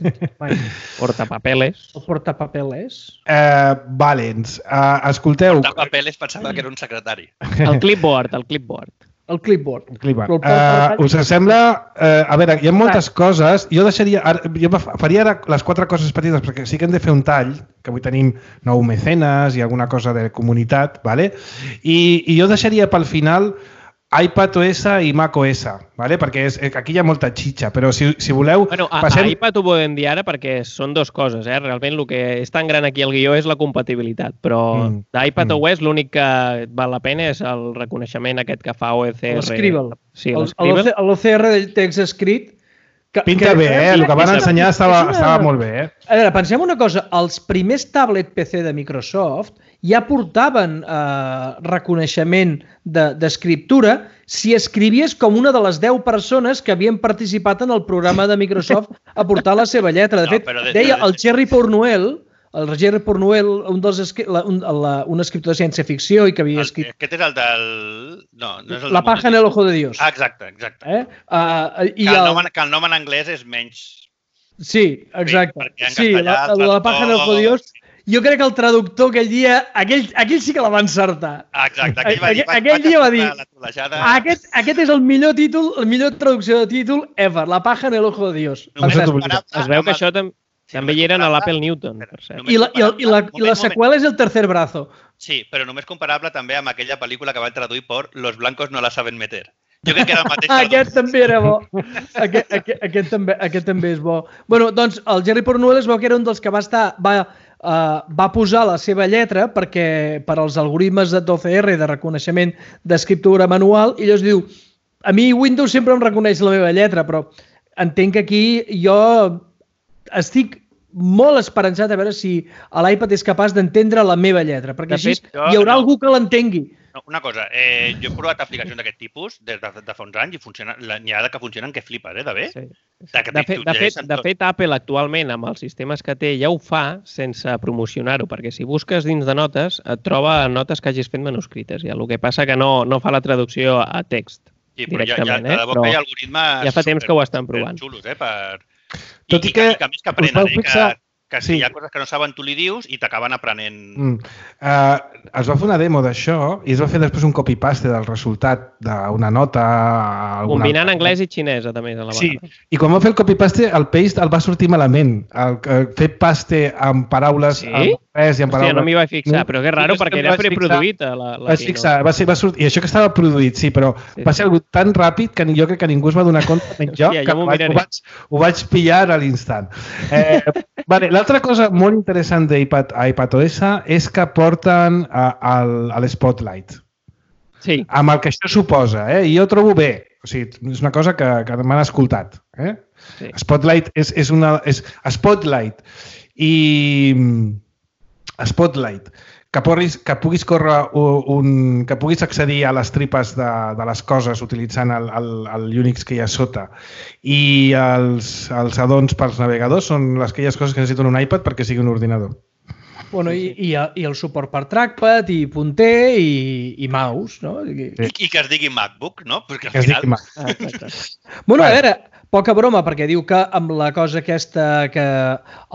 eh? Portapapeles. O portapapeles. Eh, Valens, uh, escolteu... Portapapeles pensava que era un secretari. El clipboard, el clipboard. El clipboard. El clipboard. Uh, us sembla... Uh, a veure, hi ha moltes coses. Jo deixaria... Jo faria ara les quatre coses petites, perquè sí que hem de fer un tall, que avui tenim nou mecenes i alguna cosa de comunitat, ¿vale? I, i jo deixaria pel final iPadOS i macOS, ¿vale? Perquè és, aquí hi ha molta xitxa, però si, si voleu... Bueno, a, passem... a iPad ho podem dir ara perquè són dues coses, eh? Realment el que és tan gran aquí al guió és la compatibilitat, però mm. d'iPadOS mm. l'únic que val la pena és el reconeixement aquest que fa O C R. L'Scribble. Sí, l'Scribble. L'O C R del text escrit. Que, Pinta que, bé, eh? El que van ensenyar estava, una... estava molt bé, eh? A veure, pensem una cosa. Els primers tablet P C de Microsoft ja portaven eh, reconeixement d'escriptura de, si escrivies com una de les deu persones que havien participat en el programa de Microsoft a portar la seva lletra. De fet, no, de, deia el Jerry Pornuel, el Jerry Pornuel, un, dels, la, un, la, un escriptor de ciència-ficció i que havia escrit... Aquest és el del... No, no és el La paja en el ojo de Dios. Ah, exacte, exacte. Eh? Uh, i que, el nom, el... que el nom en anglès és menys... Sí, exacte. Sí, sí la, la, la paja en el ojo de Dios... Jo crec que el traductor aquell dia, aquell, aquell sí que la va encertar. Exacte, aquell, va dir, aquell, aquell dia va dir, aquest, aquest és el millor títol, el millor traducció de títol ever, La paja en el ojo de Dios. Es veu que això també... També hi eren a l'Apple Newton, per cert. I la, i, la, i, la, i la seqüela és el tercer brazo. Sí, però només comparable també amb aquella pel·lícula que van traduir per Los blancos no la saben meter. Jo crec que era el mateix. Aquest també era bo. Aquest, aquest, aquest, també, aquest també és bo. Bueno, doncs el Jerry Pornuel es veu que era un dels que va estar... Va, Uh, va posar la seva lletra perquè per als algoritmes d'O C R de reconeixement d'escriptura manual i llavors diu, a mi Windows sempre em reconeix la meva lletra, però entenc que aquí jo estic molt esperançat a veure si l'iPad és capaç d'entendre la meva lletra, perquè així hi haurà algú que l'entengui. No, una cosa, eh, jo he provat aplicacions d'aquest tipus des de, de fa uns anys i funciona, n'hi ha que funcionen que flipes, eh, de bé. Sí. De, que De fet, de, fet, de fet, Apple actualment, amb els sistemes que té, ja ho fa sense promocionar-ho, perquè si busques dins de notes, et troba notes que hagis fet manuscrites. Ja. El que passa que no, no fa la traducció a text sí, però directament. Ja, ja, eh? però hi ha algoritmes ja fa temps que ho estan provant. Xulos, eh, per... Tot i, I, que... i que a més que aprenen, eh, fixar... que, que si sí. Hi ha coses que no saben, tu li dius i t'acaben aprenent. Mm. Uh, es va fer una demo d'això i es va fer després un copy-paste del resultat d'una nota... Alguna... Combinant anglès i xinès, a més, a la vegada. Sí, i quan va fer el copy-paste, el paste el va sortir malament. El, el fer paste amb paraules sí? en anglès i amb paraules... Hòstia, no m'hi vaig fixar, però que raro, sí, perquè era preproduït a la, la vas fixar, va ser, va sortir, I això que estava produït, sí, però sí, va ser sí. algo tan ràpid que jo crec que ningú es va donar compte, menys jo, Hòstia, que ho vaig, ho, vaig, ho vaig pillar a l'instant. Eh, vale, l'altra cosa molt interessant d'iPad a iPadOS és que porten a, a, a l'Spotlight. Sí. Amb el que això suposa, eh? I jo trobo bé. O sigui, és una cosa que, que m'han escoltat. Eh? Sí. Spotlight és, és una... És Spotlight i... Spotlight. Que, porris, que puguis córrer un... que puguis accedir a les tripes de, de les coses utilitzant el, el, el Unix que hi ha sota. I els, els addons pels navegadors són les aquelles coses que necessiten un iPad perquè sigui un ordinador. Bueno, i, i, i el suport per trackpad, i punter, i, i mouse, no? I, I que es digui MacBook, no? Perquè al final... Ah, bueno, a veure, poca broma, perquè diu que amb la cosa aquesta que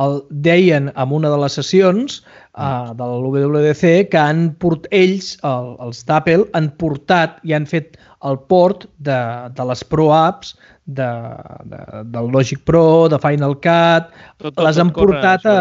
el deien en una de les sessions uh, del W W D C, que han port, ells, el, els d'Apple, han portat i han fet el port de, de les Pro Apps, de, de, del Logic Pro, de Final Cut, tot, tot, les, han portat a,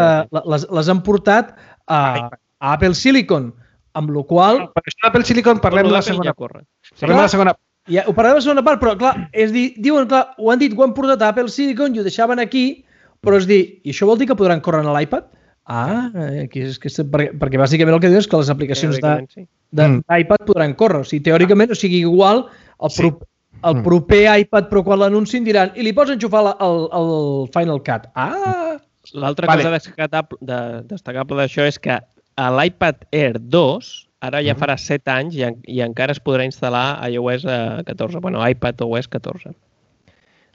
les, les han portat a, a Apple Silicon, amb la qual... No, per això d'Apple Silicon parlem de la segona part. Parlem de la segona part. Ja, ho parlem de la segona part, però clar, és dir, diuen, clar, ho han dit, ho han portat a Apple Silicon i ho deixaven aquí, però és dir, i això vol dir que podran córrer a l'iPad? Ah, aquí és, que és, perquè, perquè bàsicament el que diu és que les aplicacions d'iPad podran córrer. O sigui, teòricament, o sigui, igual el, sí. pro, el proper iPad Pro quan l'anuncin diran i li pots enxufar la, el, el Final Cut. Ah! L'altra vale. cosa destacable, de, destacable d'això és que a l'iPad Air dos ara ja farà set anys i, i encara es podrà instal·lar a iOS catorze, bueno, iPadOS catorze.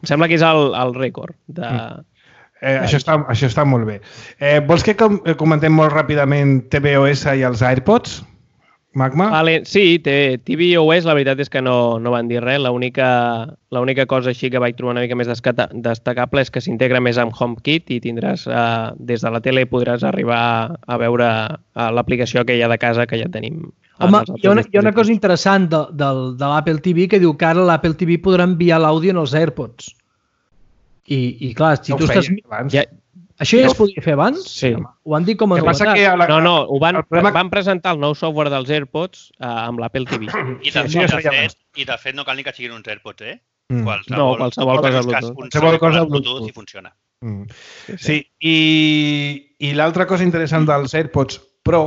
Em sembla que és el, el rècord de... Mm. Eh, això, està, això està molt bé. Eh, vols que com, comentem molt ràpidament tvOS i els AirPods, Magma? Vale, sí, tvOS la veritat és que no, no van dir res. L'única cosa així que vaig trobar una mica més destacable és que s'integra més amb HomeKit i tindràs, eh, des de la tele podràs arribar a veure eh, l'aplicació aquella de casa que ja tenim. Home, hi ha una, hi ha una cosa interessant de, de, de l'Apple T V que diu que ara l'Apple T V podrà enviar l'àudio en els AirPods. I, i clar, si no tu estàs... Ja, això ja es podia fer abans? Sí. Ho han dit com a novetat. La... No, no, ho van, problema... van presentar el nou software dels AirPods uh, amb l'Apple T V. I de, sí, i, de fet, I de fet no cal ni que siguin uns AirPods, eh? Mm. Qualsevol, no, qualsevol cosa Bluetooth. Qualsevol cosa Bluetooth i funciona. Mm. Sí, sí. sí, i, i l'altra cosa interessant dels AirPods Pro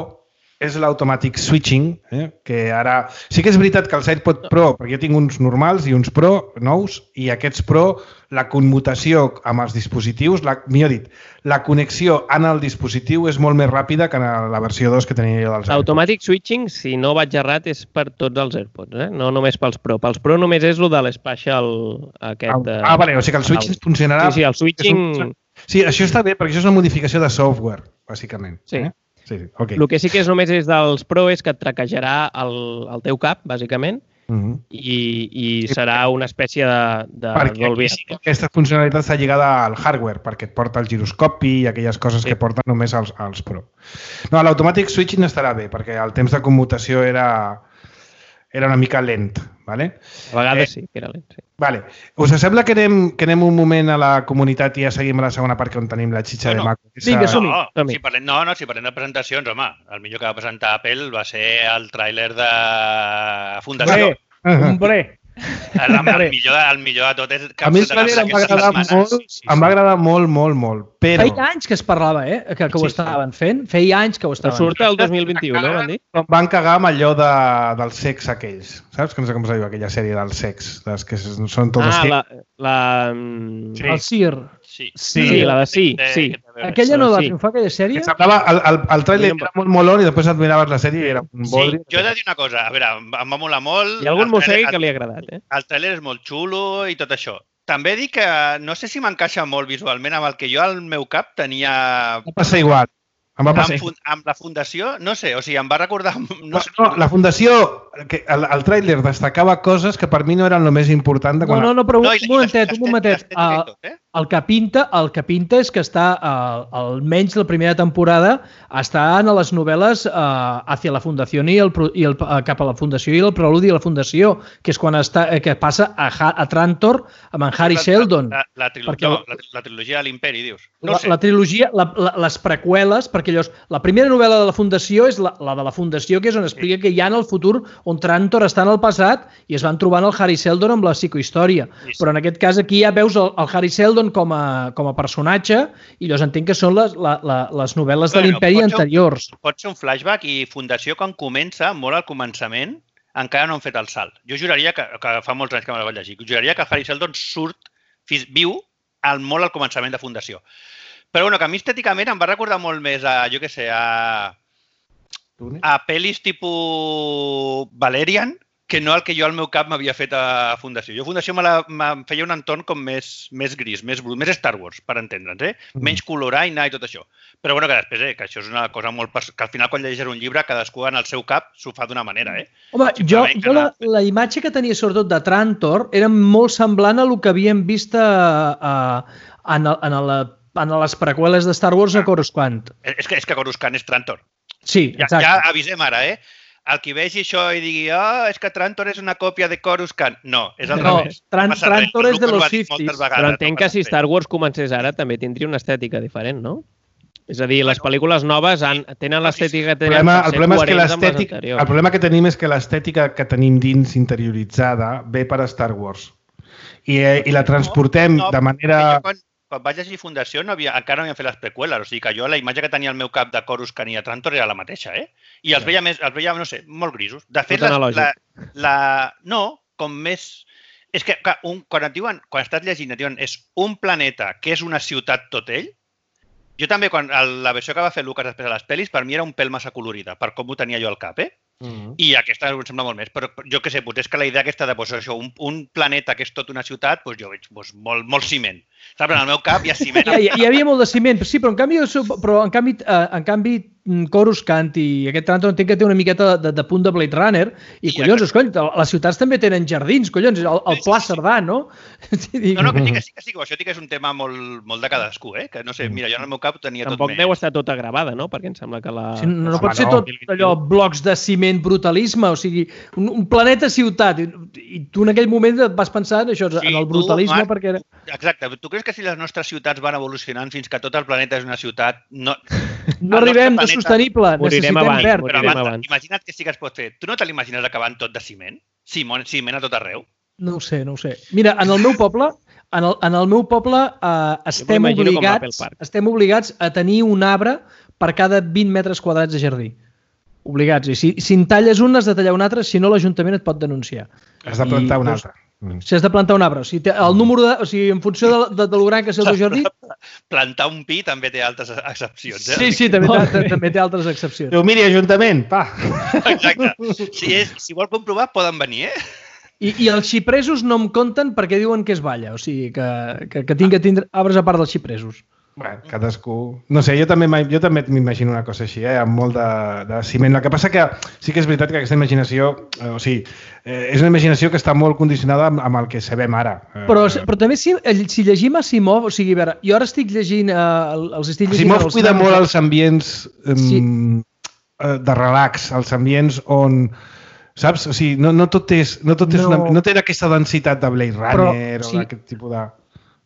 és l'automàtic switching, eh? Que ara... Sí que és veritat que els AirPods Pro, perquè jo tinc uns normals i uns Pro nous, i aquests Pro, la commutació amb els dispositius, la, millor dit, la connexió en el dispositiu és molt més ràpida que en la versió dos que tenia jo dels AirPods. L'automàtic switching, si no vaig errat, és per tots els AirPods, eh? No només pels Pro. Pels Pro només és el de l'Spatial aquest... Ah, ah, vale, o sigui que el switching funcionarà... Sí, sí, el switching... Un... Sí, això està bé, perquè això és una modificació de software, bàsicament. Sí. Eh? Sí, sí. Okay. El que sí que és només és dels Pro és que et traquejarà el, el teu cap, bàsicament, uh-huh. i, i serà una espècie de, de Dolby Atmos. Sí, aquesta funcionalitat està lligada al hardware, perquè et porta el giroscopi i aquelles coses sí. que porten només als, als Pro. No, l'automàtic switching estarà bé, perquè el temps de commutació era, era una mica lent. Vale? A vegades eh, sí, que era lent. Sí. Vale. Us sembla que anem, que anem un moment a la comunitat i ja seguim a la segona part on tenim la xitxa no, de Mac? Vinga, som-hi. No, som si parlem, no, no, si parlem de presentacions, home, el millor que va presentar Apple va ser el tràiler de Fundació. Hombre, hombre. El, el, millor, el millor de tot és... A mi el tràiler em va agradar molt, sí, sí. em va agradar molt, molt, molt, però... Feia anys que es parlava, eh? Que, que ho sí, estaven fent. Feia anys que ho estaven fent. Surt el dos mil vint-i-u, no, van dir? Van cagar amb allò de, del sex aquells. Saps? Que no sé com es diu aquella sèrie del sex. Dels que són tots... Ah, la... la... Sí. El Sir. Sí. Sí, sí, la de sí, sí. Aquella no va sí. triomfar, aquella sèrie? Que semblava, el, el, el tràiler era molt molón i després et miraves la sèrie i era un Sí, bodri. jo he de dir una cosa. A veure, em va molar molt. Hi ha algun El mossegui tràiler- que li ha agradat, eh? El tràiler és molt xulo i tot això. També dic que no sé si m'encaixa molt visualment amb el que jo al meu cap tenia Va passar igual. Em va passar amb, fun- amb la fundació, no sé, o sigui, em va recordar... No, No, sé, no, la fundació, que el, el tràiler destacava coses que per mi no eren el més important de No, quan... no, no, però No, un i la- i momentet, l'estètica- un momentet. l'estètica i El, tot, eh? el que pinta, el que pinta és que està, uh, almenys la primera temporada, està en les novel·les uh, hacia la fundació i, el, pro- i el, uh, cap a la fundació i el preludi a la fundació, que és quan està, eh, que passa a, Ha- a Trantor amb en Harry La- Seldon. La, la, trilo Perquè- no, la, la trilogia de l'Imperi, dius. No La, sé. la trilogia, la, la, les preqüeles, perquè llavors, la primera novel·la de la Fundació és la, la de la Fundació, que és on explica que hi ha en el futur on Trantor està en el passat i es van trobant el Harry Seldon amb la psicohistòria. Sí, sí. Però en aquest cas aquí ja veus el, el Harry Seldon com a, com a personatge i llavors entenc que són les, la, la, les novel·les de Bueno, l'Imperi pot ser un- anteriors. Pot ser un flashback i Fundació, quan comença, molt al començament, encara no han fet el salt. Jo juraria que, que fa molts anys que me la vaig llegir, juraria que el Harry Seldon surt, fis, viu, al, molt al començament de Fundació. Però bueno, que a mi estèticament em va recordar molt més a, jo què sé, a, a pel·lis tipus Valerian, que no el que jo al meu cap m'havia fet a Fundació. Jo a Fundació me la, me feia un entorn com més, més gris, més brut, més Star Wars, per entendre'ns, eh? Menys coloraina i tot això. Però bueno, que després, eh, que això és una cosa molt... pers- que al final quan llegeixes un llibre, cadascú en el seu cap s'ho fa d'una manera, eh? Home, jo, Simplement que jo la, no- la imatge que tenia sobretot de Trantor era molt semblant a el que havíem vist a, a, en, el, en, la, en les preqüeles de Star Wars a Coruscant. És que, és que Coruscant és Trantor. Sí, Ja, exacte. ja avisem ara, eh? El qui vegi això i digui oh, és que Trantor és una còpia de Coruscant. No, és al No, revés. Tran- No passa res. Trantor és de Lucas ho los ha dit Sithis. moltes vegades, Però no entenc que passa si res. Star Wars comencés ara també tindria una estètica diferent, no? És a dir, les pel·lícules noves han, tenen l'estètica que El tenien problema, per el ser problema és que coherents amb les l'estètica, anteriors. el problema que tenim és que l'estètica que tenim dins interioritzada ve per a Star Wars. I, eh, i la transportem No, no, de manera... Jo quan, quan vaig llegir Fundació no havia, encara no havien fet les preqüeles, o sigui que jo la imatge que tenia al meu cap de Coruscant i de Trantor era la mateixa, eh? I els veia, més, els veia no sé, molt grisos. De fet, Tot les, analògic. la, la, no, com més... És que clar, un, quan et diuen, quan estàs llegint, et diuen és un planeta que és una ciutat tot ell, jo també, quan el, la versió que va fer Lucas després a les pel·lis, per mi era un pèl massa colorida, per com ho tenia jo al cap, eh? Mm. I aquesta em sembla molt més, però jo què sé, potser és que la idea aquesta de pues, això, un, un planeta que és tot una ciutat, doncs jo veig pues, molt, molt ciment. Saps? En el meu cap hi ha ciment. Hi, hi, hi havia molt de ciment, sí, però en canvi, però en canvi, eh, en canvi Coruscant i aquest Trantor entenc que té una miqueta de, de punt de Blade Runner i, I collons, aquest- escoll, les ciutats també tenen jardins, collons, el, el Sí, Pla sí, sí. Cerdà, no? No, no, que sí, que sí, que sí, que això sí que és un tema molt, molt de cadascú, eh? Que no sé, mira, jo en el meu cap ho tenia Tampoc tot deu més. estar tota gravada, no? Perquè em sembla que la... Sí, no, no Home, pot ser no. tot allò, blocs de ciment, brutalisme, o sigui, un, un planeta ciutat, i, i tu en aquell moment et vas pensar en això, Sí, en el tu, brutalisme, Marc, perquè era... Exacte. Tu creus que si les nostres ciutats van evolucionant fins que tot el planeta és una ciutat, no... No el arribem nostre de planeta- sostenible, Morirem necessitem abans, verd. Però morirem abans, abans. imagina't que sí que es pot fer. Tu no te l'imagines acabant tot de ciment? Ciment, ciment a tot arreu? No ho sé, no ho sé. Mira, en el meu poble, en el, en el meu poble eh, estem, m'imagino com l'Apple obligats, Park. estem obligats a tenir un arbre per cada vint metres quadrats de jardí. Obligats. I si, si en talles un, has de tallar un altre, si no l'Ajuntament et pot denunciar. Has de plantar I, un doncs, altre. Mm. Si has de plantar un arbre. O sigui, té el número de, o sigui, en funció de, de, de lo gran que sigui el teu jardí, Plantar un pi també té altres excepcions, eh? sí, sí, també, té, també té altres excepcions. Diu, miri, Ajuntament, pa! Exacte. Si, és, si vol comprovar, poden venir, eh? I, I els xipresos no em compten perquè diuen que és balla, o sigui, que, que, que tinc que tindre arbres a part dels xipresos. Bueno, cadascú... No sé, jo també m'im- jo també m'imagino una cosa així, eh? Amb molt de, de ciment. El que passa que sí que és veritat que aquesta imaginació, eh, o sigui, eh, és una imaginació que està molt condicionada amb, amb el que sabem ara. Eh, Però, però també si, si llegim Asimov, o sigui, a veure, jo ara estic llegint, eh, els estic llegint... Asimov els cuida noms- molt els ambients um, Sí. eh, de relax, els ambients on... Saps? O sigui, no, no tot és... No, tot és No. una, no té aquesta densitat de Blade Però, Runner sí. o d'aquest tipus de...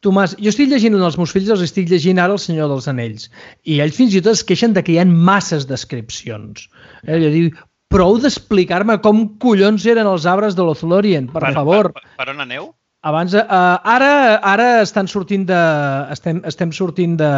Tomàs, jo estic llegint els meus fills, els estic llegint ara El Senyor dels Anells, i ells fins i tot es queixen de que hi ha masses descripcions. Eh? Jo dic, prou d'explicar-me com collons eren els arbres de l'Othlorien, per, favor. Per, per, per on aneu? Abans, uh, ara, ara estan sortint de, estem, estem sortint de,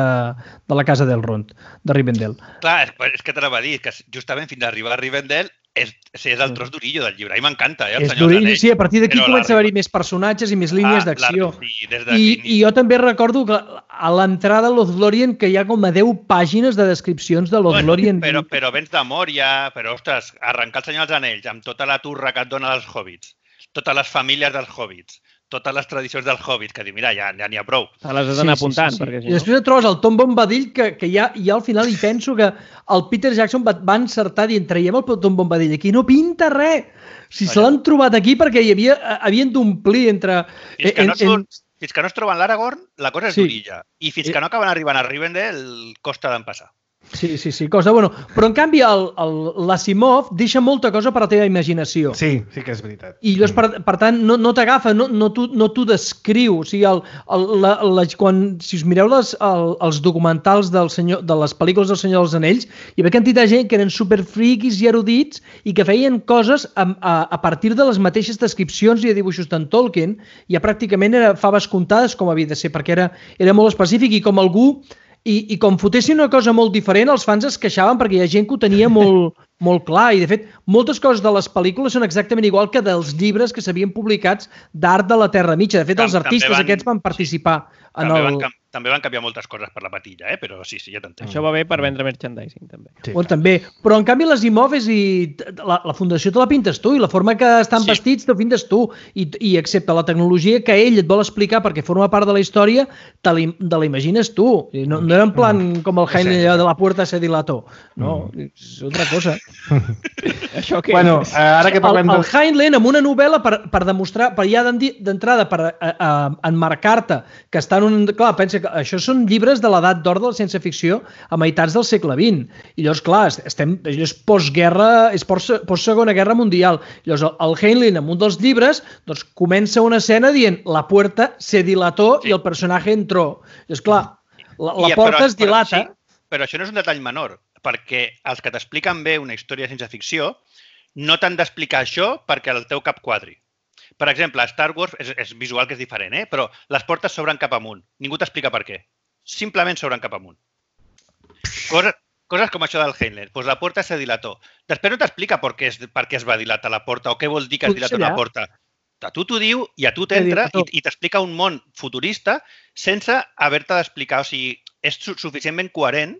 de la casa del Rond, de Rivendell. Clar, és, és que t'anava a dir que justament fins a arribar a Rivendell és, sí, és el tros d'orillo del llibre. A mi m'encanta, eh, el És Senyor dels Anells. sí, a partir d'aquí Però comença a la- haver-hi més personatges i més línies Ah, d'acció. la- sí, des I, d'aquí- I jo també recordo que a l'entrada a Lothlórien que hi ha com a deu pàgines de descripcions de Lothlórien. Bueno, però, però vens de Mòria, però, ostres, arrencar el Senyor dels Anells amb tota la turra que et dona dels hobbits, totes les famílies dels hobbits, totes les tradicions dels hobbits, que diu, mira, ja ja n'hi ha prou. Te les has d'anar apuntant, perquè si I després et trobes el Tom Bombadil, que, que ja, ja al final hi penso que el Peter Jackson va, va encertar dient, traiem el Tom Bombadil, aquí no pinta res. Si se l'han trobat aquí perquè hi havia, havien d'omplir entre... Fins que, no en, en, surt, fins que no es troben l'Aragorn, la cosa és Sí. d'orilla. I fins que no acaben arribant a Rivendell, costa d'empassar. Sí, sí, sí, cosa bueno. Però en canvi el- el- l'Asimov deixa molta cosa per a la teva imaginació. Sí, sí que és veritat. I llavors, per, per tant, no, no t'agafa, no, no t'ho no t'ho descriu. O sigui, el, el, la, la, quan, si us mireu les, el, els documentals del senyor, de les pel·lícules del Senyor dels Anells, hi havia quantitat de gent que eren superfriquis i erudits i que feien coses a, a, a partir de les mateixes descripcions i de dibuixos d'en Tolkien, i ja pràcticament era faves comptades com havia de ser, perquè era, era molt específic i com algú I, i com fotessin una cosa molt diferent, els fans es queixaven perquè hi ha gent que ho tenia molt, molt clar. I, de fet, moltes coses de les pel·lícules són exactament igual que dels llibres que s'havien publicats d'art de la Terra Mitja. De fet, els Tam- artistes també van- aquests van participar en També, el... van, cam- també van canviar moltes coses per la patilla, eh? Però sí, sí, ja t'entenc. Això va bé per vendre merchandising, també. Sí, Bueno, també. Però, en canvi, les Imoves i la, la fundació te la pintes tu i la forma que estan Sí. vestits te la pintes tu. I, I excepte la tecnologia que ell et vol explicar perquè forma part de la història, te la, te la imagines tu. I no, no era en plan com el Heinlein allò de la puerta se dilató. No, és otra cosa. Això què Bueno, és? eh, ara que parlem el, el del... Heinlein, amb una novel·la per, per demostrar, per ja d'en- d'entrada, per a, a, enmarcar-te, que està en un... Clar, pensa que això són llibres de l'edat d'or de la ciència-ficció a meitats del segle vint. I llavors, clar, estem, allò és postguerra, és post, post-segona guerra mundial. Llavors, el, el Heinlein, en un dels llibres, doncs, comença una escena dient la puerta se dilató Sí. i el personatge entró. Llavors, clar, la, la I, porta però- es dilata. Però, sí, però això no és un detall menor, perquè els que t'expliquen bé una història de ciència-ficció no t'han d'explicar això perquè el teu cap quadri. Per exemple, a Star Wars és, és visual que és diferent, eh? Però les portes s'obren cap amunt. Ningú t'explica per què. Simplement s'obren cap amunt. Coses, coses com això del Heinlein. Pues la porta se dilató. Després no t'explica per què, es, per què es va dilatar la porta o què vol dir que es Potser dilata una allà. porta. A tu t'ho diu i a tu t'entra i, dilató. i t'explica un món futurista sense haver-te d'explicar. O sigui, és su suficientment coherent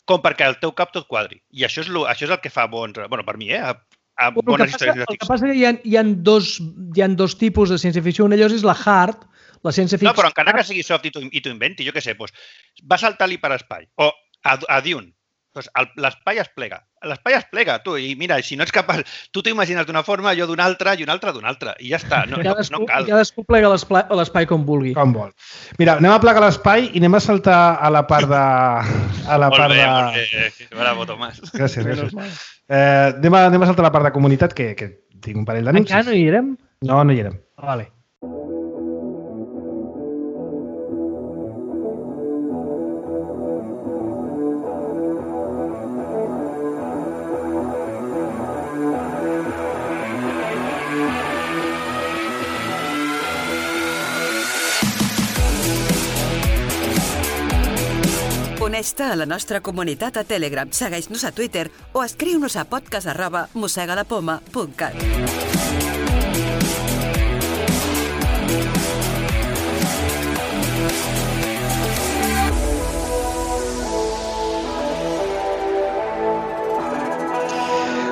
com perquè el teu cap tot quadri. I això és, lo, això és el que fa bons... Bueno, per mi, eh? A, a Bueno, el, que bones passa, històries de el que ficció. passa que hi ha, hi ha, dos, hi ha dos tipus de ciència-ficció. Un d'ells és la hard, la ciència-ficció... No, però encara que sigui soft i t'ho i t'ho inventi, jo què sé, doncs, va saltar l'hiperespai. O a, a Dune. Doncs l'espai es plega. L'espai es plega, tu. I mira, si no ets capaç... Tu t'ho imagines d'una forma, jo d'una altra, i una altra d'una altra. I ja està. No, no, Cadascú, no cal. cadascú plega l'espai l'espai com vulgui. Com vol. Mira, anem a plegar l'espai i anem a saltar a la part de... A la Molt part bé, de... molt bé. Bravo, Tomàs. Gràcies, gràcies. Eh, anem, a, anem a saltar a la part de comunitat, que, que tinc un parell d'anuncis. Encara no hi érem? No, no hi érem. Ah, vale. Uneix-te a la nostra comunitat a Telegram, segueix-nos a Twitter o escriu-nos a podcast arroba mossegalapoma punt cat.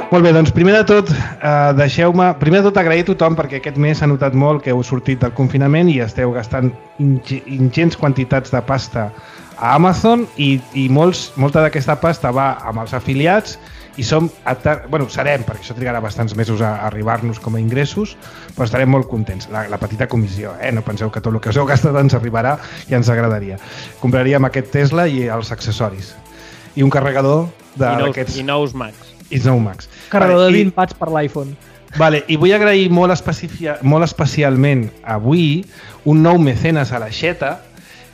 Molt bé, doncs primer de tot, eh, deixeu-me... Primer de tot agrair a tothom perquè aquest mes s'ha notat molt que heu sortit del confinament i esteu gastant inge- ingents quantitats de pasta a Amazon i, i molts, molta d'aquesta pasta va amb els afiliats i som, bueno, serem, perquè això trigarà bastants mesos a arribar-nos com a ingressos, però estarem molt contents. La, la petita comissió, eh? No penseu que tot el que us heu gastat ens arribarà i ens agradaria. Compraríem aquest Tesla i els accessoris. I un carregador I nous, d'aquests... I nous Macs. I nou Max. Carregador Vale, de i- vint watts per l'iPhone. Vale, i vull agrair molt, especifi- molt especialment avui un nou mecenes a l'aixeta,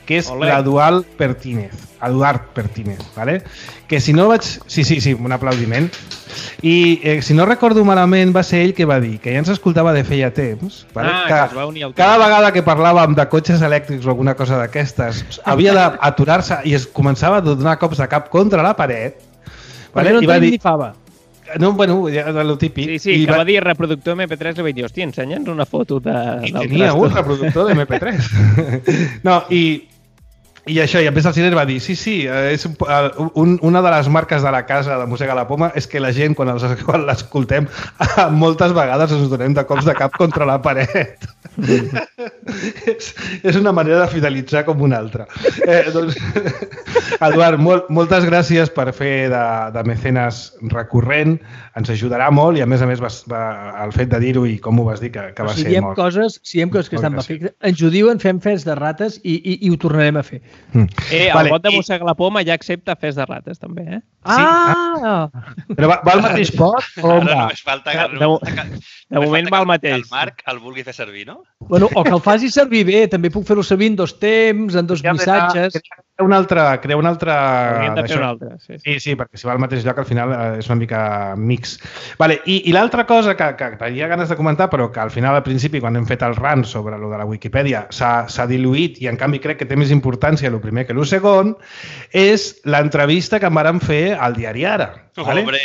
que és Olé. l'Eduard Pertínez. Eduard Pertínez, vale? Que si no vaig... Sí, sí, sí, un aplaudiment. I eh, si no recordo malament, va ser ell que va dir que ja ens escoltava de feia temps, vale? Ah, que, que es va unir al cada tema. vegada que parlàvem de cotxes elèctrics o alguna cosa d'aquestes, havia d'aturar-se i es començava a donar cops de cap contra la paret. Perquè no I va tenim dir, ni fava. No, bueno, ja lo típic. Sí, sí, I que va... va dir reproductor M P tres, li vaig dir, hòstia, ensenya'ns una foto de, I del tenia trasto. un reproductor de M P tres. No, i, i això, i a més el Ciner va dir, sí, sí, és un, una de les marques de la casa de Mossega la Poma és que la gent, quan, els, quan l'escoltem, moltes vegades ens donem de cops de cap contra la paret. és, és una manera de fidelitzar com una altra. Eh, doncs, Eduard, molt, moltes gràcies per fer de, de mecenes recurrent, ens ajudarà molt i a més a més va, va, el fet de dir-ho i com ho vas dir que, que va si ser diem molt. Coses, si diem coses que estan perfectes, ens ho diuen, fem fes de rates i, i, i ho tornarem a fer. Mm. Eh, el vale, bot de i... Mossega la Poma ja accepta fes de rates, també, eh? Ah! Però va, va al mateix pot o on va? Només falta que, De, de, de moment va al mateix. el Marc el vulgui fer servir, no? Bueno, o que el faci servir bé, també puc fer-ho servir en dos temps, en dos Ja missatges... Crea un altre... Crea un altre Hauríem de fer d'això. un altre, sí, sí. Sí, sí, perquè si va al mateix lloc al final eh, és una mica mix. Vale, i, i l'altra cosa que, que tenia ganes de comentar, però que al final, al principi, quan hem fet el rant sobre lo de la Wikipedia, s'ha diluït i en canvi crec que té més importància el primer que el segon, és l'entrevista que em vàrem fer al diari Ara. Vale? Hombre,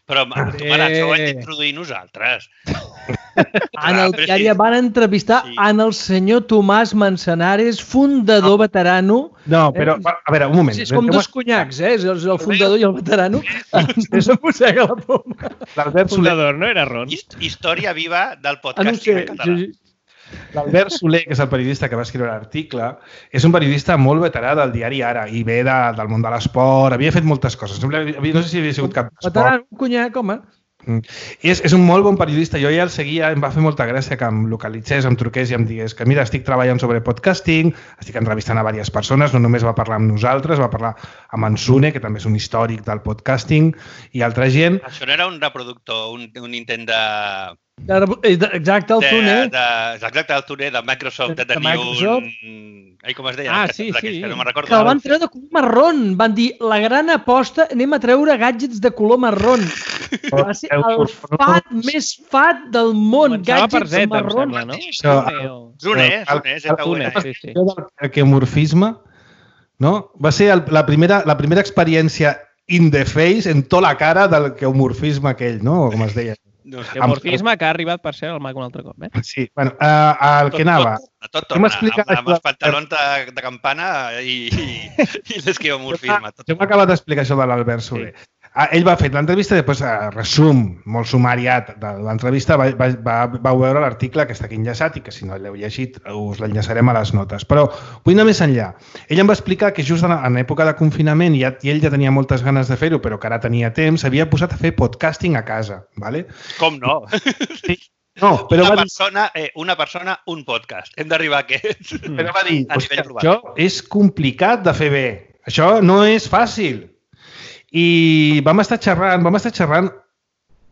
però tu, mare, això ho hem d'introduir nosaltres. En el diari van entrevistar Sí. en el senyor Tomàs Manzanares, fundador veterano. No, però, a veure, un moment. Sí, és com dos conyacs, eh? És el fundador i el veterano. Ens mossega la poma. L'Albert Soler, Fundador, no era Ron? Hist- Història viva del Ah, no ho podcast sé. en català. Sí, sí. l'Albert Soler, que és el periodista que va escriure l'article, és un periodista molt veterà del diari Ara i ve de, del món de l'esport, havia fet moltes coses. No, no sé si havia sigut cap esport. Veterano, un conyac, home. I és, és un molt bon periodista. Jo ja el seguia, em va fer molta gràcia que em localitzés, em truqués i em digués que mira, estic treballant sobre podcasting, estic entrevistant a diverses persones, no només va parlar amb nosaltres, va parlar amb en Sune, que també és un històric del podcasting, i altra gent. Això no era un reproductor, un, un intent de... Exacte, el de, Tune. de, exacte, el Tune de Microsoft, de De tenir Microsoft. un... Ai, com es deia? Ah, Aquests, sí, aquests, sí. Que no me'n recordo. Que el van treure de color marrón. Van dir, la gran aposta, anem a treure gadgets de color marrón. Va ser el fat més fat del món. Començava per Gadgets Z, em marrons. sembla, no? Això, Zune o- Zune, El- Zune, el- Zune, Z U N E. sí, sí. Això del queomorfisme, no? Va ser el, la, primera, la primera experiència in the face, en tota la cara del queomorfisme aquell, no? Com es deia. No sé. El morfisme que ha arribat per ser el mag un altre cop, eh? Sí, bueno, uh, el que anava. Tot, tot, tot Hem torna, explicat amb, amb això els pantalons de, de campana i, i, i l'esquivomorfisme. Tot. Jo m'he acabat d'explicar això de l'Albert Soler. Sí. Ah, ell va fer l'entrevista i després, eh, resum, molt sumariat de l'entrevista, va, va, va, vau veure l'article que està aquí enllaçat i que si no l'heu llegit us l'enllaçarem a les notes. Però vull anar més enllà. Ell em va explicar que just en, en època de confinament, i, ja, i ell ja tenia moltes ganes de fer-ho, però que ara tenia temps, s'havia posat a fer podcasting a casa. ¿vale? Com no? Sí. No, però una, va dir, persona, eh, una persona, un podcast. Hem d'arribar a aquest. però va dir A "Hòstia, nivell global. això és complicat de fer bé. Això no és fàcil. I vam estar xerrant, vam estar xerrant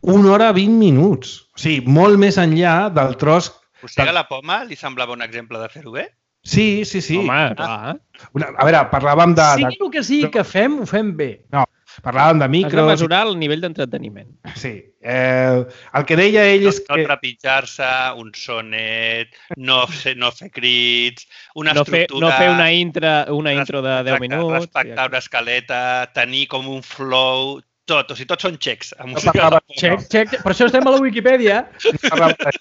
una hora vint minuts. O sigui, molt més enllà del tros... Mossega la Poma li semblava un exemple de fer-ho bé? Sí, sí, sí. Home, clar. Una, a veure, parlàvem de... Sigui de el que sigui que fem, ho fem bé. no, parlàvem de Has de micros... mesurar el nivell d'entreteniment. Sí. Eh, el que deia ell No, és no que... trepitjar-se, un sonet, no fer, no fer crits, una No fer, estructura... no fer una, intra, una intro de deu Exacte, minuts. Respectar una escaleta, tenir com un flow, tot. O sigui, tots són xecs. A No Mossega parlava- la Poma. Check, check. Per això estem a la Wikipedia. Parlava de,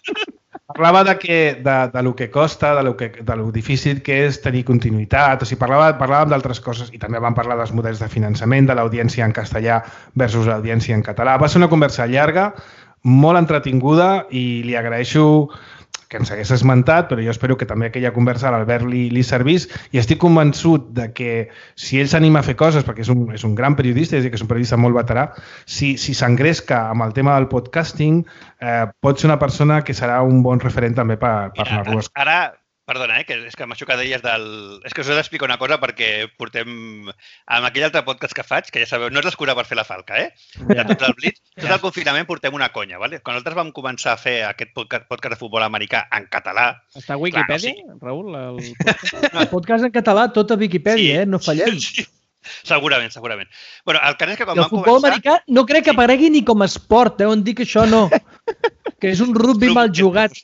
parlava de, que, de, de lo que costa, de lo, que, de lo difícil que és tenir continuïtat, o sigui, parlava, parlàvem d'altres coses i també vam parlar dels models de finançament, de l'audiència en castellà versus l'audiència en català. Va ser una conversa llarga, molt entretinguda i li agraeixo que ens hagués esmentat, però jo espero que també aquella conversa a l'Albert li, li servís i estic convençut de que si ell s'anima a fer coses, perquè és un, és un gran periodista, és a dir, que és un periodista molt veterà, si si s'engresca amb el tema del podcasting, eh, pot ser una persona que serà un bon referent també per, per Mira, anar-lo a ara, perdona, eh, que és que amb això que deies del... És que us he d'explicar una cosa perquè portem... Amb aquell altre podcast que faig, que ja sabeu, no és l'excusa per fer la falca, eh? De tot el Blitz, tot el confinament portem una conya, ¿vale? Quan nosaltres vam començar a fer aquest podcast, podcast de futbol americà en català... Està a Wikipedia, Clar, Raül? El podcast? El podcast en català, tot a Wikipedia, eh? No fallem. Sí, segurament, segurament. Bueno, el cas és que quan I el vam futbol començar... americà no crec que aparegui ni com a esport, eh? On dic això no. Que és un rugby mal jugat.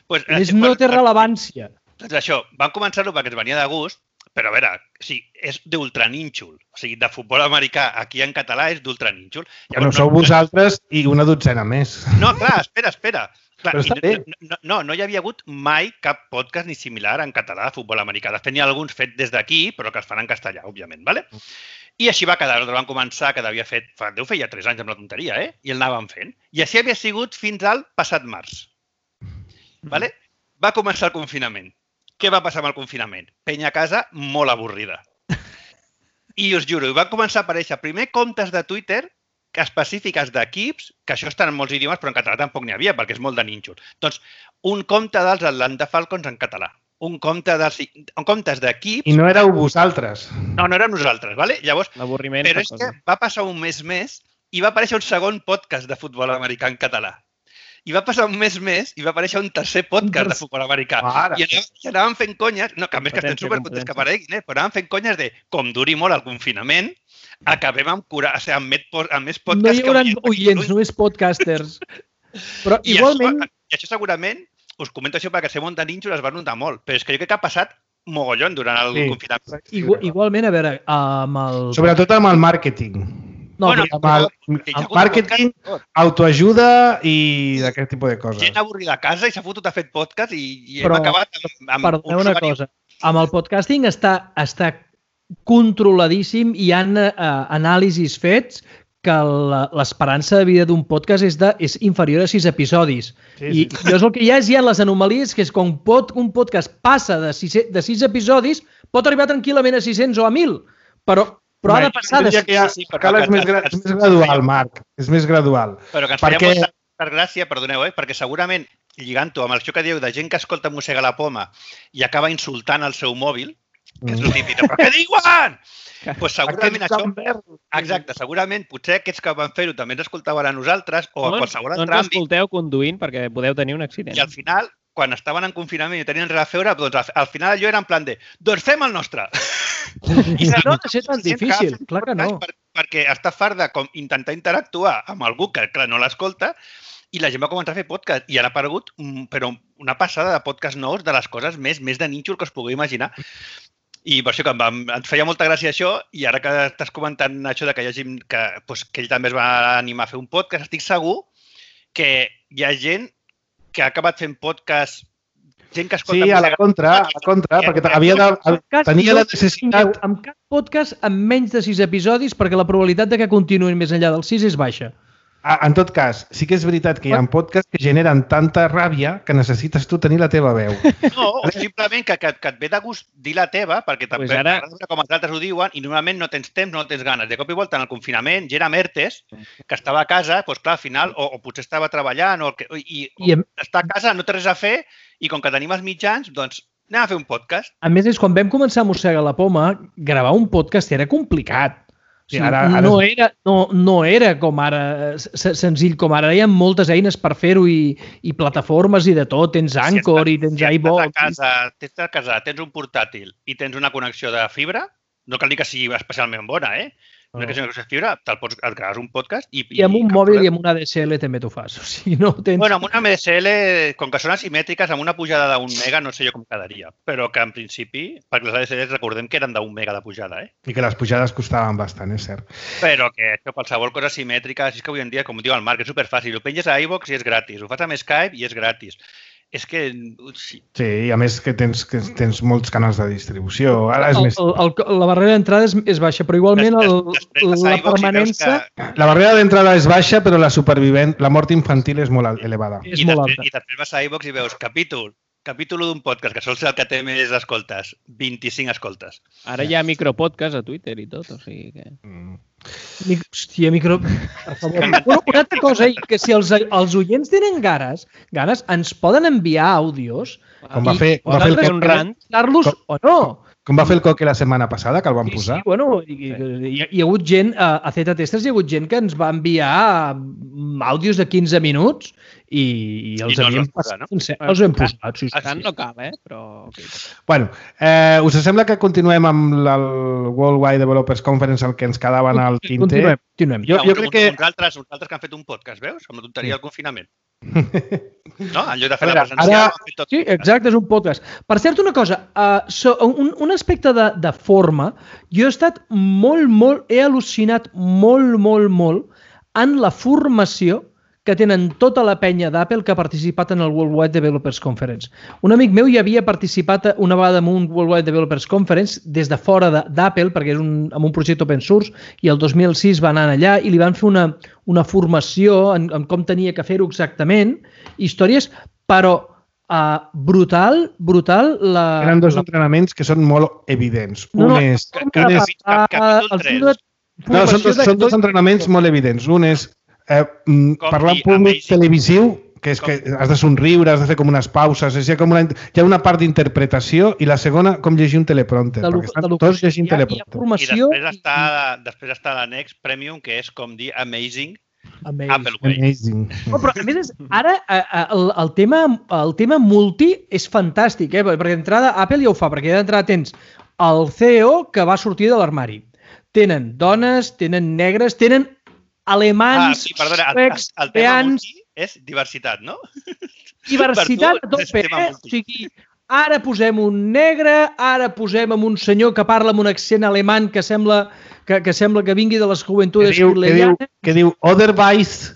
Pues, A més, no té rellevància. Doncs això, vam començar-lo perquè ens venia de gust, Però a veure, sí, és d'ultranínxol. O sigui, de futbol americà aquí en català és d'ultranínxol. Bueno, sou vosaltres i una dotzena més. No, clar, espera, espera. Clar, Però està bé. no, no, no hi havia hagut mai cap podcast ni similar en català de futbol americà. De fet, n'hi ha alguns fets des d'aquí, però que es fan en castellà, òbviament. ¿vale? I així va quedar. Nosaltres vam començar, que devia fet, fa, deu fer ja tres anys amb la tonteria, eh? I el anàvem fent. I així havia sigut fins al passat març. ¿vale? Va començar el confinament. Què va passar amb el confinament? Penya a casa molt avorrida. I us juro, van començar a aparèixer primer comptes de Twitter específiques d'equips, que això està en molts idiomes, però en català tampoc n'hi havia, perquè és molt de nínxol. Doncs, un compte dels Atlanta Falcons en català. Un compte dels, un comptes d'equips... I no éreu vosaltres. No, no érem nosaltres, ¿vale? Llavors, L'avorriment. però és que va passar un mes més i va aparèixer un segon podcast de futbol americà en català. I va passar un mes més i va aparèixer un tercer podcast de futbol americà. Mare. I anàvem, i anàvem fent conyes, no, que a més que estem Competència, supercontents que competència. apareguin, eh? però anàvem fent conyes de com duri molt el confinament, acabem amb, cura, o sigui, amb, met, amb més No podcasts hi haurà que... oients, només podcasters. Però I igualment... això, i això segurament, us comento això perquè ser molt de nínxol es va notar molt, però és que jo crec que ha passat mogollon durant el Sí. confinament. Igual, igualment, a veure, amb el... Sobretot amb el màrqueting. No, Bueno, però- Amb el, que hi ha el hagut màrqueting, podcast, autoajuda i d'aquest tipus de coses. gent avorrida a casa i s'ha fotut a fer podcast i, i Però, hem acabat amb, amb Perdoneu una usuari- cosa. Amb el podcasting està, està controladíssim i hi ha eh, anàlisis fets que la- l'esperança de vida d'un podcast és, de, és inferior a sis episodis. Sí, I sí. llavors el que hi ha és hi ha les anomalies, que és quan pot, un podcast passa de sis, de sis episodis, pot arribar tranquil·lament a sis-cents o a mil, però, però ha de passar de... Ja que ja, sí, sí, però cal és que- més, gra és més gradual, Marc. És més gradual. Però que ens Perquè- feia molta gràcia, perdoneu, eh? perquè segurament, lligant-ho amb això que dieu de gent que escolta Mossega la Poma i acaba insultant el seu mòbil, que és el típic, però què diuen? Pues segurament això... Exacte, segurament potser aquests que van fer-ho també ens escoltaven a nosaltres o a No, qualsevol no altre ens àmbit escolteu conduint perquè podeu tenir un accident. i al final, quan estaven en confinament i tenien res a fer, doncs al- al final allò era en plan de doncs fem el nostre. I no ha de ser tan difícil, clar que no. Per, perquè està fart de com intentar interactuar amb algú que, clar, no l'escolta i la gent va començar a fer podcast i ara ha aparegut mm, però una passada de podcast nous de les coses més, més de nínxol que us pugueu imaginar. I per això que em, va, em feia molta gràcia això i ara que estàs comentant això de que hi ha gent que, doncs, que ell també es va animar a fer un podcast, estic segur que hi ha gent que ha acabat fent podcast, gent que escolta... Sí, a la música- contra, a la contra, Que- perquè que- havia de, Podcast tenia la no necessitat... tingueu amb cap podcast amb menys de sis episodis perquè la probabilitat de que continuïn més enllà dels sis és baixa. Ah, En tot cas, sí que és veritat que hi ha podcasts que generen tanta ràbia que necessites tu tenir la teva veu. No, o simplement que, que, que et ve de gust dir la teva, perquè també Pues ara- t'agrada veure com els altres ho diuen i normalment no tens temps, no tens ganes. De cop i volta en el confinament, gent amb ERTES, que estava a casa, doncs clar, al final, o, o potser estava treballant, o, el que, i, I o a, està a casa, no té res a fer, i com que tenim els mitjans, doncs anem a fer un podcast. a més, és quan vam començar a Mossega la Poma, gravar un podcast era complicat. O Sí, sigui, ara- ara no, és- era, no, no era com ara, se- senzill com ara. Hi ha moltes eines per fer-ho i, i plataformes i de tot. Tens Anchor i tens si estàs iVoox. a casa, estàs a casa, tens un portàtil i tens una connexió de fibra, no cal dir que sigui especialment bona, eh? Una connexió de fibra, te'l pots, et graves un podcast i... I amb un cap mòbil problema. i amb una A D S L també t'ho fas. O sigui, no tens... Bueno, amb una M D S L, com que són asimètriques, amb una pujada d'un mega no sé jo com quedaria. Però que en principi, perquè les A D S Ls recordem que eren d'un mega de pujada, eh? I que les pujades costaven bastant, és cert. Però que això, qualsevol cosa asimètrica, així que avui en dia, com diu el Marc, és superfàcil. Ho penges a iVoox i és gratis. Ho fas amb Skype i és gratis. És que... Sí. Sí, i a més que tens, que tens molts canals de distribució. Ara és el, més... el, el, la barrera d'entrada és, és baixa, però igualment el, Des- després vas a la iVoox i veus permanència que- La barrera d'entrada és baixa, però la supervivent, la mort infantil és molt elevada. és I molt després, alta. I després vas a iVoox i veus capítol, capítol d'un podcast, que sol ser el que té més escoltes, vint-i-cinc escoltes. Ara hi ha micropodcast a Twitter i tot, o sigui que... Mm. Mic- Hòstia, micro... Per favor. Una, una altra cosa, i que si els, els oients tenen ganes, ganes, ens poden enviar àudios Com va i fer, com va fer el nosaltres un Coque, rant. usar-los o no. com va fer el Coque la setmana passada, que el van Sí, posar. sí, bueno, hi, hi, hi ha hagut gent, a, a Z Testers hi ha hagut gent que ens va enviar mm, àudios de quinze minuts i, i els I no els havíem vam posar, passat no? sencer. Els hem posat, sí, sí. Tant no cal, eh? Però... Okay. Bueno, eh, us sembla que continuem amb la- el Worldwide Developers Conference, el que ens quedava en el tinter? Continuem, continuem. Jo, jo crec que... Uns altres, uns altres que han fet un podcast, veus? Amb la tonteria Sí. del confinament. No? En lloc de fer A veure, la presencial, ara- ho han fet tot. Sí, exacte, és un podcast. Per cert, una cosa, uh, so, un, un aspecte de, de forma, jo he estat molt, molt, he al·lucinat molt, molt, molt en la formació que tenen tota la penya d'Apple que ha participat en el Worldwide Developers Conference. Un amic meu hi havia participat una vegada en un Worldwide Developers Conference des de fora d'Apple, perquè és un, amb un projecte open source, i el dos mil sis va anar allà i li van fer una, una formació en, en com tenia que fer-ho exactament, històries, però uh, brutal, brutal la... Eren dos la... entrenaments que són molt evidents. No, Un no, és... com Un que és parlar, capítol els tres. llibres de no, són formació dos, de- són dos entrenaments molt evidents. Un és eh, mm, Com parlar en dir públic amazing. televisiu, que és Com- que has de somriure, has de fer com unes pauses, és, hi, ha com una, hi ha una part d'interpretació i la segona com llegir un teleprompter, de lo- perquè estan de lo- tots llegint hi ha- hi ha teleprompter. I formació després està, després està l'annex Premium, que és com dir Amazing Amazing. Apple Way. Amazing. No, però a més, és, ara a, a, el, el, tema, el tema multi és fantàstic, eh? perquè d'entrada Apple ja ho fa, perquè d'entrada tens el C E O que va sortir de l'armari. Tenen dones, tenen negres, tenen Ah, alemans, sí, perdona, el, el, suecs, el tema coreans, multi és diversitat, no? diversitat per a tu és tope, tema eh? multi. O sigui, ara posem un negre, ara posem amb un senyor que parla amb un accent alemany que sembla que, que, sembla que vingui de les Que juventudes diu, que diu, hitlerianes. que diu otherwise,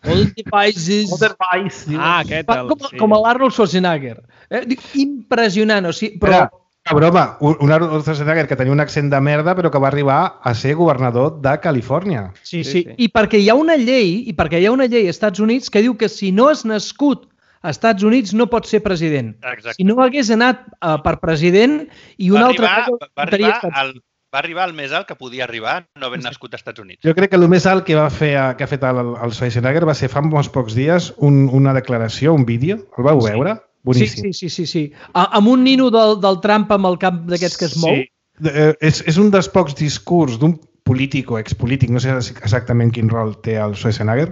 All the países. otherwise. Diu. Ah, aquest. Fa, El, com, sí. com l'Arnold Schwarzenegger. Eh? Dic, impressionant, o sigui, però... Però, una broma, un un Arnold Schwarzenegger que tenia un accent de merda però que va arribar a ser governador de Califòrnia. Sí, Sí, sí, sí. I perquè hi ha una llei, i perquè hi ha una llei als Estats Units que diu que si no has nascut als Estats Units no pots ser president. Exacte. Si no hagués anat uh, per president i un Va altre... arribar, cop, va, votaria arribar Estats al, va arribar al més alt que podia arribar no havent nascut als Estats Units. Jo crec que el més alt que va fer que ha fet el, el Schwarzenegger va ser fa uns pocs dies un, una declaració, un vídeo. El vau veure? Sí, Boníssim. sí, sí, sí, sí. A, amb un nino del, del Trump amb el cap d'aquests que es mou. Sí. Eh, és, és un dels pocs discurs d'un polític o expolític, no sé exactament quin rol té el Schwarzenegger,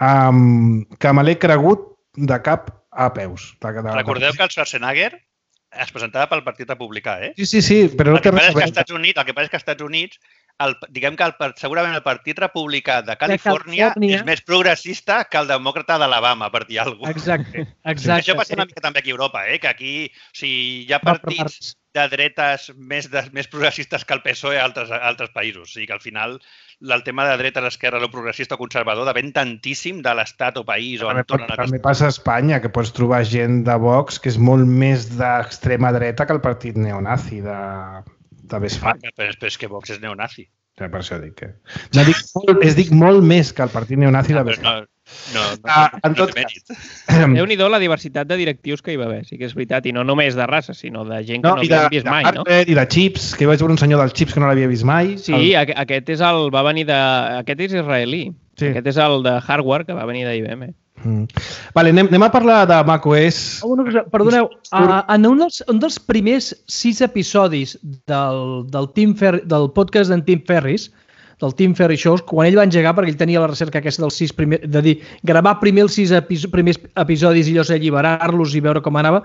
um, que me l'he cregut de cap a peus. De, de, Recordeu que el Schwarzenegger es presentava pel Partit Republicà, eh? Sí, sí, sí, però no El que té passa res és a que als veure. Estats Units, el que passa és que als Estats Units el, diguem que el, segurament el Partit Republicà de Califòrnia, Califòrnia. és més progressista que el demòcrata d'Alabama, per dir alguna cosa. Exacte, exacte. Això passa una mica també aquí a Europa, eh? Que aquí o sigui, hi ha Va per partits parts. de dretes més, de, més progressistes que el P S O E a altres, a altres països. O sigui que al final el tema de dretes, esquerra, o progressista o conservador depèn tantíssim de l'estat o país o També, entorn en el que també passa a Espanya, que pots trobar gent de Vox que és molt més d'extrema dreta que el partit neonazi de, de Westfalen. Però, però és que Vox és neonazi. Ja, per això dic que... No, dic, molt, es dic molt més que el partit neonazi de Però Westfalen. no, no, no, Ah, no, en no tot té mèrit. Déu-n'hi-do la diversitat de directius que hi va haver, sí que és veritat, i no només de raça, sinó de gent que no, No, i de, havíem vist de mai, no? hardware i de chips, que vaig veure un senyor dels chips que no l'havia vist mai. Sí, el... aquest és el, va venir de... Aquest és israelí. Sí. Aquest és el de hardware que va venir d'I B M. Mm. Vale, anem, anem a parlar de macOS. Una cosa, perdoneu, uh, en un dels, un dels primers sis episodis del, del, Tim Fer, del podcast d'en Tim Ferris, del Tim Ferriss Show, quan ell va engegar, perquè ell tenia la recerca aquesta dels sis primers, de dir, gravar primer els sis epi primers episodis i llavors alliberar-los i veure com anava,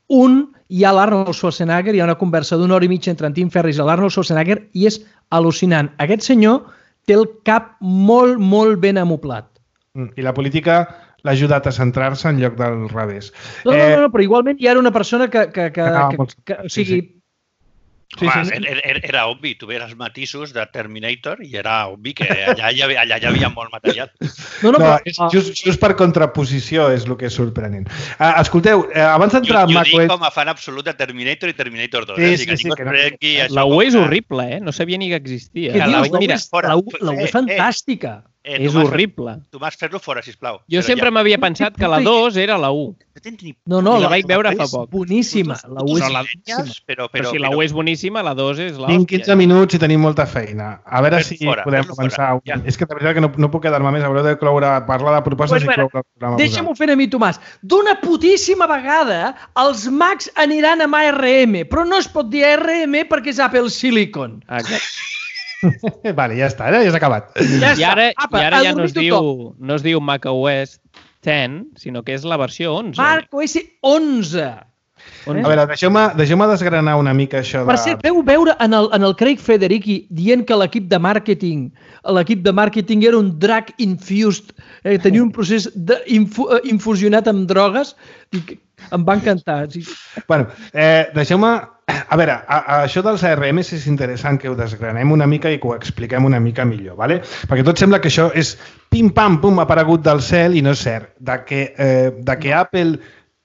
un, hi ha l'Arnold Schwarzenegger, hi ha una conversa d'una hora i mitja entre en Tim Ferriss i l'Arnold Schwarzenegger i és al·lucinant. Aquest senyor té el cap molt, molt ben amoplat. Mm. I la política l'ha ajudat a centrar-se en lloc del revés. No, no, no, no, però igualment ja era una persona que... que, que, Ah, que, molt- que o sí, sigui, Sí, Home, sí, sí. Era, era, era obvi, tu veies els matisos de Terminator i era obvi que allà hi havia, allà hi havia molt material. no, no, No, però, és just, just per contraposició és el que és sorprenent. Uh, escolteu, uh, abans Jo, d'entrar jo en dic macOS... com a fan absolut de Terminator i Terminator dos. Sí, eh? O sí, sigui, que sí, ningú que no- es prengui això La U com és una- horrible, eh? No sabia ni que existia. què la dius? vaig La U mirar és, fora. la U, la U Eh, és fantàstica. Eh, És Tomàs, horrible. Tomàs, fer-lo fora, sisplau. Jo Però sempre ja, m'havia pensat que la dos era la U. no tens ni No, no, I la la, vaig veure fa és poc. boníssima. La U és Però, la, boníssima. però, Però, però, si la U és boníssima, la dos és la Tinc quinze minuts i tenim molta feina. A veure Fes-lo si fora, podem fes-lo començar. fora, ja. És que de veritat que no, no puc quedar-me més. Haureu de cloure, parlar de propostes Pues, i bueno, cloure el programa. Deixa'm-ho fer a mi, Tomàs. D'una putíssima vegada, els Macs aniran amb A R M, però no es pot dir A R M perquè és Apple Silicon. Exacte. Vale, ja està, eh? Ja s'ha acabat. Ja I ara, Apa, i ara a ja no es, dormir diu, tothom. no es diu macOS deu, sinó que és la versió onze. Marc O S onze. A veure, deixeu-me deixeu desgranar una mica això de... Per cert, veu veure en el, en el Craig Federighi dient que l'equip de màrqueting l'equip de màrqueting era un drug infused, eh, tenia un procés de infu, infusionat amb drogues i em va encantar. Sí. Bueno, eh, deixeu-me... A veure, a, a això dels A R Ms és interessant que ho desgranem una mica i que ho expliquem una mica millor, ¿vale? Perquè tot sembla que això és pim-pam-pum aparegut del cel i no és cert. De que, eh, de que Apple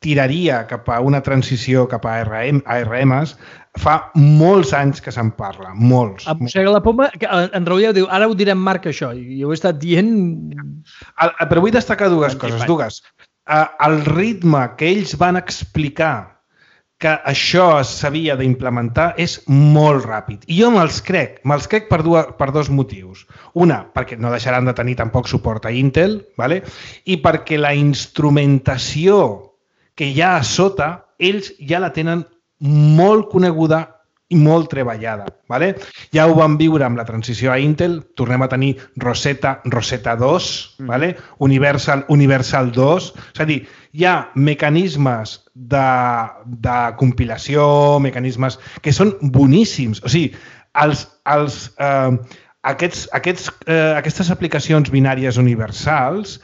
tiraria cap a una transició cap a A R Ms fa molts anys que se'n parla, molts. A Mossega la Poma, en Raúl diu, ara ho direm Marc això, i ho he estat dient... El, però vull destacar dues coses, dues. El ritme que ells van explicar que això s'havia d'implementar és molt ràpid. I jo me'ls crec, me'ls crec per, dues, per dos motius. Una, perquè no deixaran de tenir tampoc suport a Intel, ¿vale? I perquè la instrumentació que hi ha a sota, ells ja la tenen molt coneguda i molt treballada. ¿Vale? Ja ho vam viure amb la transició a Intel, tornem a tenir Rosetta, Rosetta dos, ¿vale? Universal, Universal dos, és a dir, hi ha mecanismes de, de compilació, mecanismes que són boníssims. O sigui, els, els, eh, aquests, aquests, eh, aquestes aplicacions binàries universals,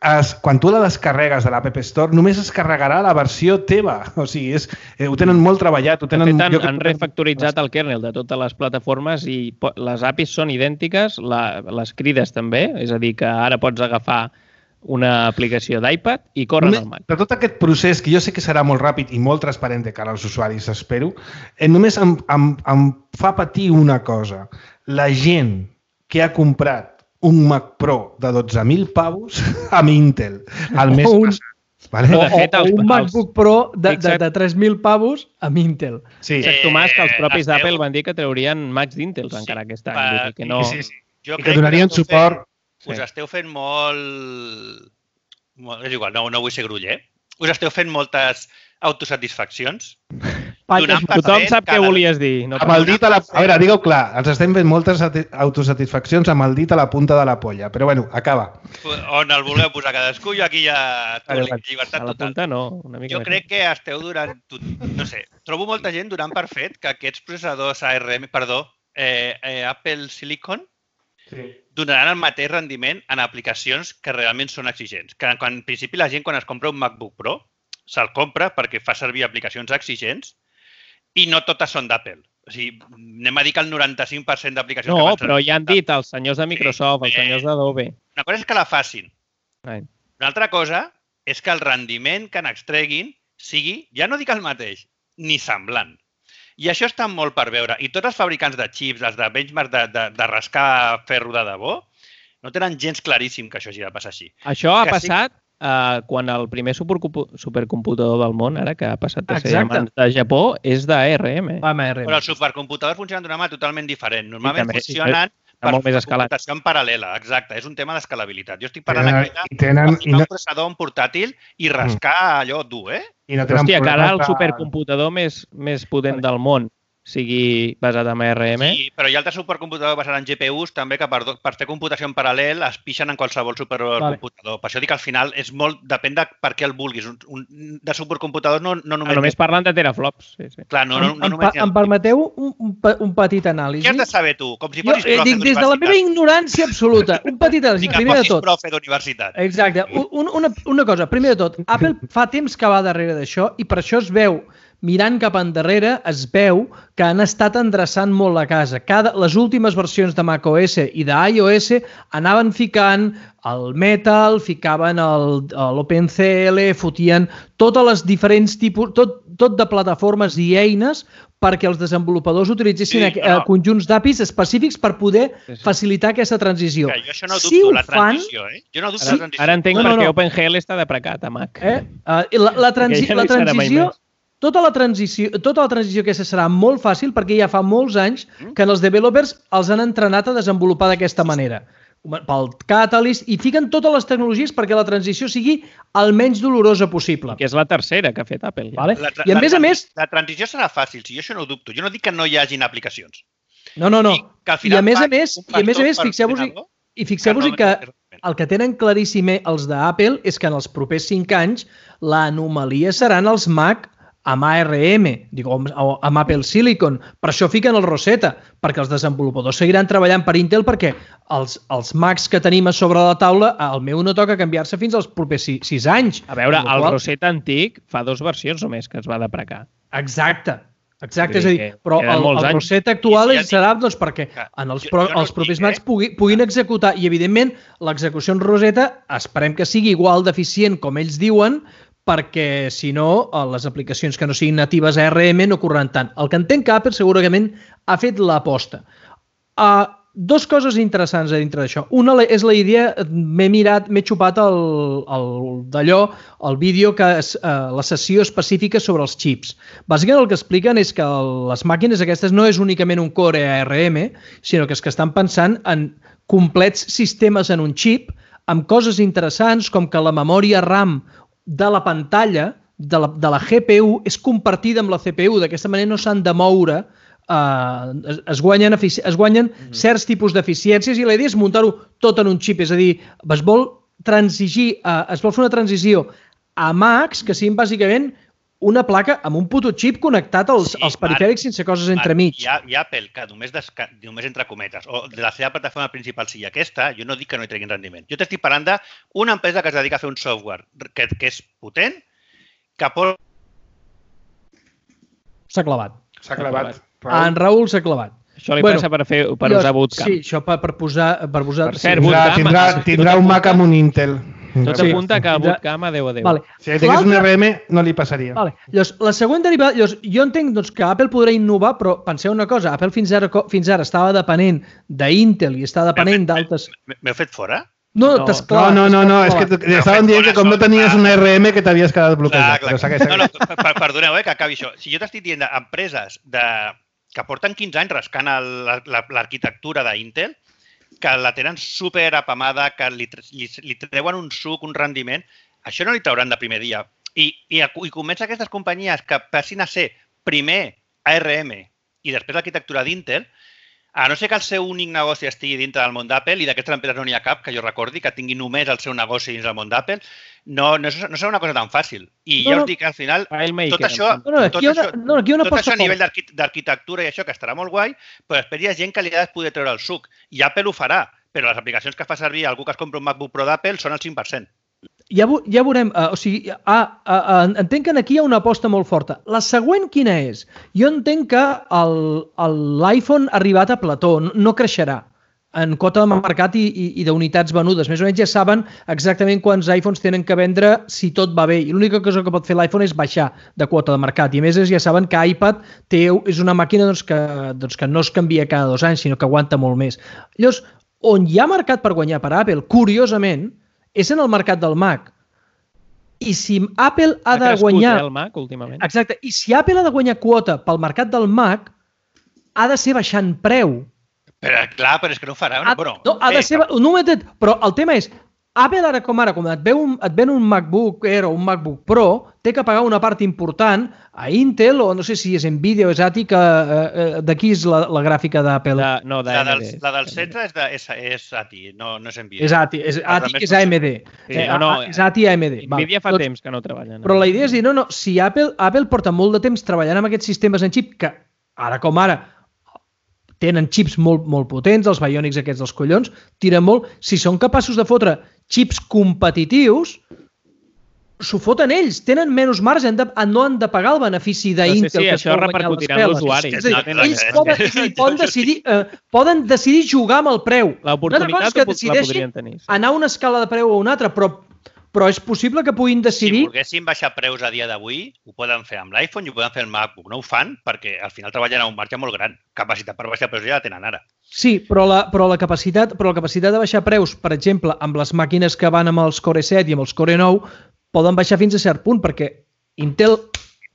es, quan tu la descarregues de l'App Store, només es carregarà la versió teva. O sigui, és, eh, ho tenen molt treballat. Ho tenen, de fet, han, han refactoritzat el kernel de totes les plataformes i les A P Is són idèntiques, la, les crides també, és a dir, que ara pots agafar una aplicació d'iPad i corren al Mac. De tot aquest procés, que jo sé que serà molt ràpid i molt transparent de cara als usuaris, espero, eh, només em, em, em fa patir una cosa. La gent que ha comprat un Mac Pro de dotze mil pavos amb Intel al mes un, passat. Vale? O, o, o un MacBook Pro de, de, de tres mil pavos amb Intel. Sí. Except, Tomàs, que els propis eh, d'Apple van dir que traurien Macs d'Intel sí, encara aquest any. Va, que no... sí, sí. Jo I que donarien que suport... Fent, us sí. esteu fent molt... molt... És igual, no, no vull ser gruller. Us esteu fent moltes autosatisfaccions. Tothom sap què volies dir. No amb el dit a la... A veure, digue-ho clar, ens estem fent moltes autosatisfaccions amb el dit a la punta de la polla, però bueno, acaba. On el vulgueu posar cadascú, jo aquí ja... Llibertat total. A la punta no, una mica jo més. Crec que esteu durant... No sé, trobo molta gent donant per fet que aquests processadors A R M, perdó, eh, eh, Apple Silicon, sí. donaran el mateix rendiment en aplicacions que realment són exigents. Que quan, en principi la gent quan es compra un MacBook Pro se'l compra perquè fa servir aplicacions exigents i no totes són d'Apple. O sigui, anem a dir que el noranta-cinc per cent d'aplicacions... No, però ja han dit els senyors de Microsoft, sí, els senyors d'Adobe. Una cosa és que la facin. Right. Una altra cosa és que el rendiment que n'extreguin sigui, ja no dic el mateix, ni semblant. I això està molt per veure. I tots els fabricants de xips, els de benchmark de, de, de rascar ferro de debò, no tenen gens claríssim que això hagi de passar així. Això ha que passat sí... uh, quan el primer supercomputador del món, ara que ha passat a ser mans de Japó, és d'A R M. Però els supercomputadors funcionen d'una manera totalment diferent. Normalment també, funcionen sí, per computació en paral·lela. Exacte, és un tema d'escalabilitat. Jo estic parlant aquí de tenen, ficar un processador en portàtil i rascar mm. allò dur, eh? I no Hòstia, que ara el supercomputador més, més potent del món sigui basat en A R M. Sí, però hi ha altres supercomputadors basats en G P Us també que per, per fer computació en paral·lel es pixen en qualsevol supercomputador. Vale. Per això dic que al final és molt, depèn de per què el vulguis. Un, un, de supercomputadors no, no només... Ah, només parlen de teraflops. Sí, sí. Clar, no, no, no em, només... Em, em permeteu un, un, un petit anàlisi? Què has de saber tu? Com si fossis jo, profe dic, des de la meva ignorància absoluta. Un petit anàlisi, primer de tot. Com si profe d'universitat. Exacte. Un, una, una cosa, primer de tot, Apple fa temps que va darrere d'això i per això es veu mirant cap endarrere, es veu que han estat endreçant molt la casa. Cada, les últimes versions de macOS i d'iOS anaven ficant el Metal, ficaven l'OpenCL, fotien totes les diferents tipus, tot, tot de plataformes i eines perquè els desenvolupadors utilitzessin sí, no. conjunts d'A P Is específics per poder sí, sí. facilitar aquesta transició. Ja, jo això no dubto, si la transició, eh? Jo no dubto ara, la transició. Ara entenc no, no, per què no. OpenGL està deprecat a Mac. Eh? Uh, la, la, transi la transició... Tota la, transició, tota la transició aquesta serà molt fàcil perquè ja fa molts anys que els developers els han entrenat a desenvolupar d'aquesta manera. Pel Catalyst, i fiquen totes les tecnologies perquè la transició sigui el menys dolorosa possible. Que és la tercera que ha fet Apple. Ja. Vale? La, I a la, més a més... La transició serà fàcil, si jo això no ho dubto. Jo no dic que no hi hagin aplicacions. No, no, no. I, I a més a més, i a més a més, fixeu-vos-hi i fixeu-vos que el que tenen claríssim els d'Apple és que en els propers cinc anys l'anomalia seran els Mac amb A R M, dic, o amb Apple Silicon. Per això fiquen el Rosetta, perquè els desenvolupadors seguiran treballant per Intel perquè els, els Macs que tenim a sobre la taula, el meu no toca canviar-se fins als propers sis, sis anys. A veure, el qual... Rosetta antic fa dues versions només que es va deprecar. Exacte. Exacte, és a dir, però el, el Rosetta actual ja serà doncs, perquè en els, pro, els propers Macs pugui, puguin executar i, evidentment, l'execució en Rosetta esperem que sigui igual d'eficient com ells diuen, perquè, si no, les aplicacions que no siguin natives a A R M no correran tant. El que entenc que Apple segurament ha fet l'aposta. Uh, dos coses interessants a dintre d'això. Una és la idea, m'he mirat, m'he xupat el, el, d'allò, el vídeo, que és uh, la sessió específica sobre els xips. Bàsicament el que expliquen és que les màquines aquestes no és únicament un core A R M, sinó que és que estan pensant en complets sistemes en un xip, amb coses interessants com que la memòria RAM de la pantalla, de la, de la G P U, és compartida amb la C P U. D'aquesta manera no s'han de moure, uh, es, es guanyen, es guanyen mm-hmm. certs tipus d'eficiències i la idea és muntar-ho tot en un xip. És a dir, es vol transigir, uh, es vol fer una transició a Macs que siguin bàsicament una placa amb un puto xip connectat als, sí, als perifèrics Marc, sense coses entremig. Hi ha, hi ha Apple que només, desca, només entre cometes, o de la seva plataforma principal sigui aquesta, jo no dic que no hi treguin rendiment. Jo t'estic parlant d'una empresa que es dedica a fer un software que, que és potent, que pot... S'ha clavat. S'ha clavat. En Raül s'ha clavat. Això li bueno, passa per, fer, per jo, usar Bootcamp. Sí, això per, per posar... Per, posar, per cert, sí. Bootcamp... Tindrà, tindrà un Mac amb un Intel. Tot sí, apunta que a Bootcamp a deu a deu. Vale. Si tingués un R M, no li passaria. Vale. Llavors, la següent derivada... Llavors, jo entenc doncs, que Apple podrà innovar, però penseu una cosa, Apple fins ara, fins ara estava depenent d'Intel i està depenent d'altres... M'heu fet fora? No, no, no, no, no, no, és que estaven dient que com no tenies un R M que t'havies quedat bloquejat. Clar, clar. No, no, perdoneu, eh, que acabi això. Si jo t'estic dient empreses de... que porten quinze anys rascant l'arquitectura d'Intel, que la tenen super apamada, que li, li, li treuen un suc, un rendiment, això no li trauran de primer dia. I, i, i comença aquestes companyies que passin a ser primer A R M i després l'arquitectura d'Intel, a no ser que el seu únic negoci estigui dintre del món d'Apple, i d'aquestes empreses no n'hi ha cap, que jo recordi, que tingui només el seu negoci dins del món d'Apple, no, no, no serà una cosa tan fàcil. I no, ja us dic que al final, tot això, no, no, tot això, no, tot això a nivell d'arquitectura i això, que estarà molt guai, però després hi ha gent que li ha de poder treure el suc. I Apple ho farà, però les aplicacions que fa servir algú que es compra un MacBook Pro d'Apple són el cinc per cent. Ja, ja veurem, uh, o sigui, ah, uh, entenc que aquí hi ha una aposta molt forta. La següent quina és? Jo entenc que l'iPhone ha arribat a plató, no, no creixerà en quota de mercat i, i, i d'unitats venudes. Més o menys ja saben exactament quants iPhones tenen que vendre si tot va bé. I l'única cosa que pot fer l'iPhone és baixar de quota de mercat. I a més ja saben que iPad té, és una màquina doncs, que, doncs, que no es canvia cada dos anys, sinó que aguanta molt més. Llavors, on hi ha mercat per guanyar per Apple, curiosament, és en el mercat del Mac. I si Apple ha, ha de guanyar... el Mac últimament. Exacte. I si Apple ha de guanyar quota pel mercat del Mac, ha de ser baixant preu. Però, clar, però és que no ho farà. Ha, bueno, no, ha de ser... No, però el tema és, Apple ara com ara, quan et, un, et ven un MacBook Air o un MacBook Pro, té que pagar una part important a Intel, o no sé si és Nvidia o és A T I, que eh, d'aquí és la, la gràfica d'Apple. De, no, de la, del, la del setze és, de, és, és A T I, no, no és Nvidia. És A T I, és, A T I, és A M D. Sí, no, no, és A T I A M D. Nvidia fa temps que no treballen. Però la idea és dir, no, no, si Apple, Apple porta molt de temps treballant amb aquests sistemes en xip, que ara com ara tenen xips molt, molt potents, els Bionics aquests dels collons, tiren molt. Si són capaços de fotre xips competitius, s'ho foten ells. Tenen menys marge, han de, no han de pagar el benefici d'Intel. Sí, sí, això repercutirà en l'usuari. És a dir, no, ells poden, dir, poden, decidir, eh, poden decidir jugar amb el preu. L'oportunitat la podrien tenir. Sí. Anar a una escala de preu o una altra, però però és possible que puguin decidir... Si volguessin baixar preus a dia d'avui, ho poden fer amb l'iPhone i ho poden fer amb el MacBook. No ho fan perquè al final treballen a un marge molt gran. Capacitat per baixar preus ja la tenen ara. Sí, però la, però la, capacitat, però la capacitat de baixar preus, per exemple, amb les màquines que van amb els Core set i amb els Core nou, poden baixar fins a cert punt, perquè Intel...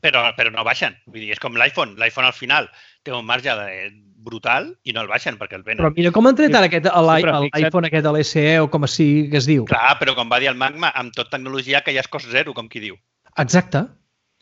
Però, però no baixen. Vull dir, és com l'iPhone. L'iPhone al final té un marge de... brutal i no el baixen perquè el venen. Però mira com han tret ara aquest, l'iPhone aquest de l'S E o com així que es diu. Clar, però com va dir el Magma, amb tot tecnologia que ja és cost zero, com qui diu. Exacte.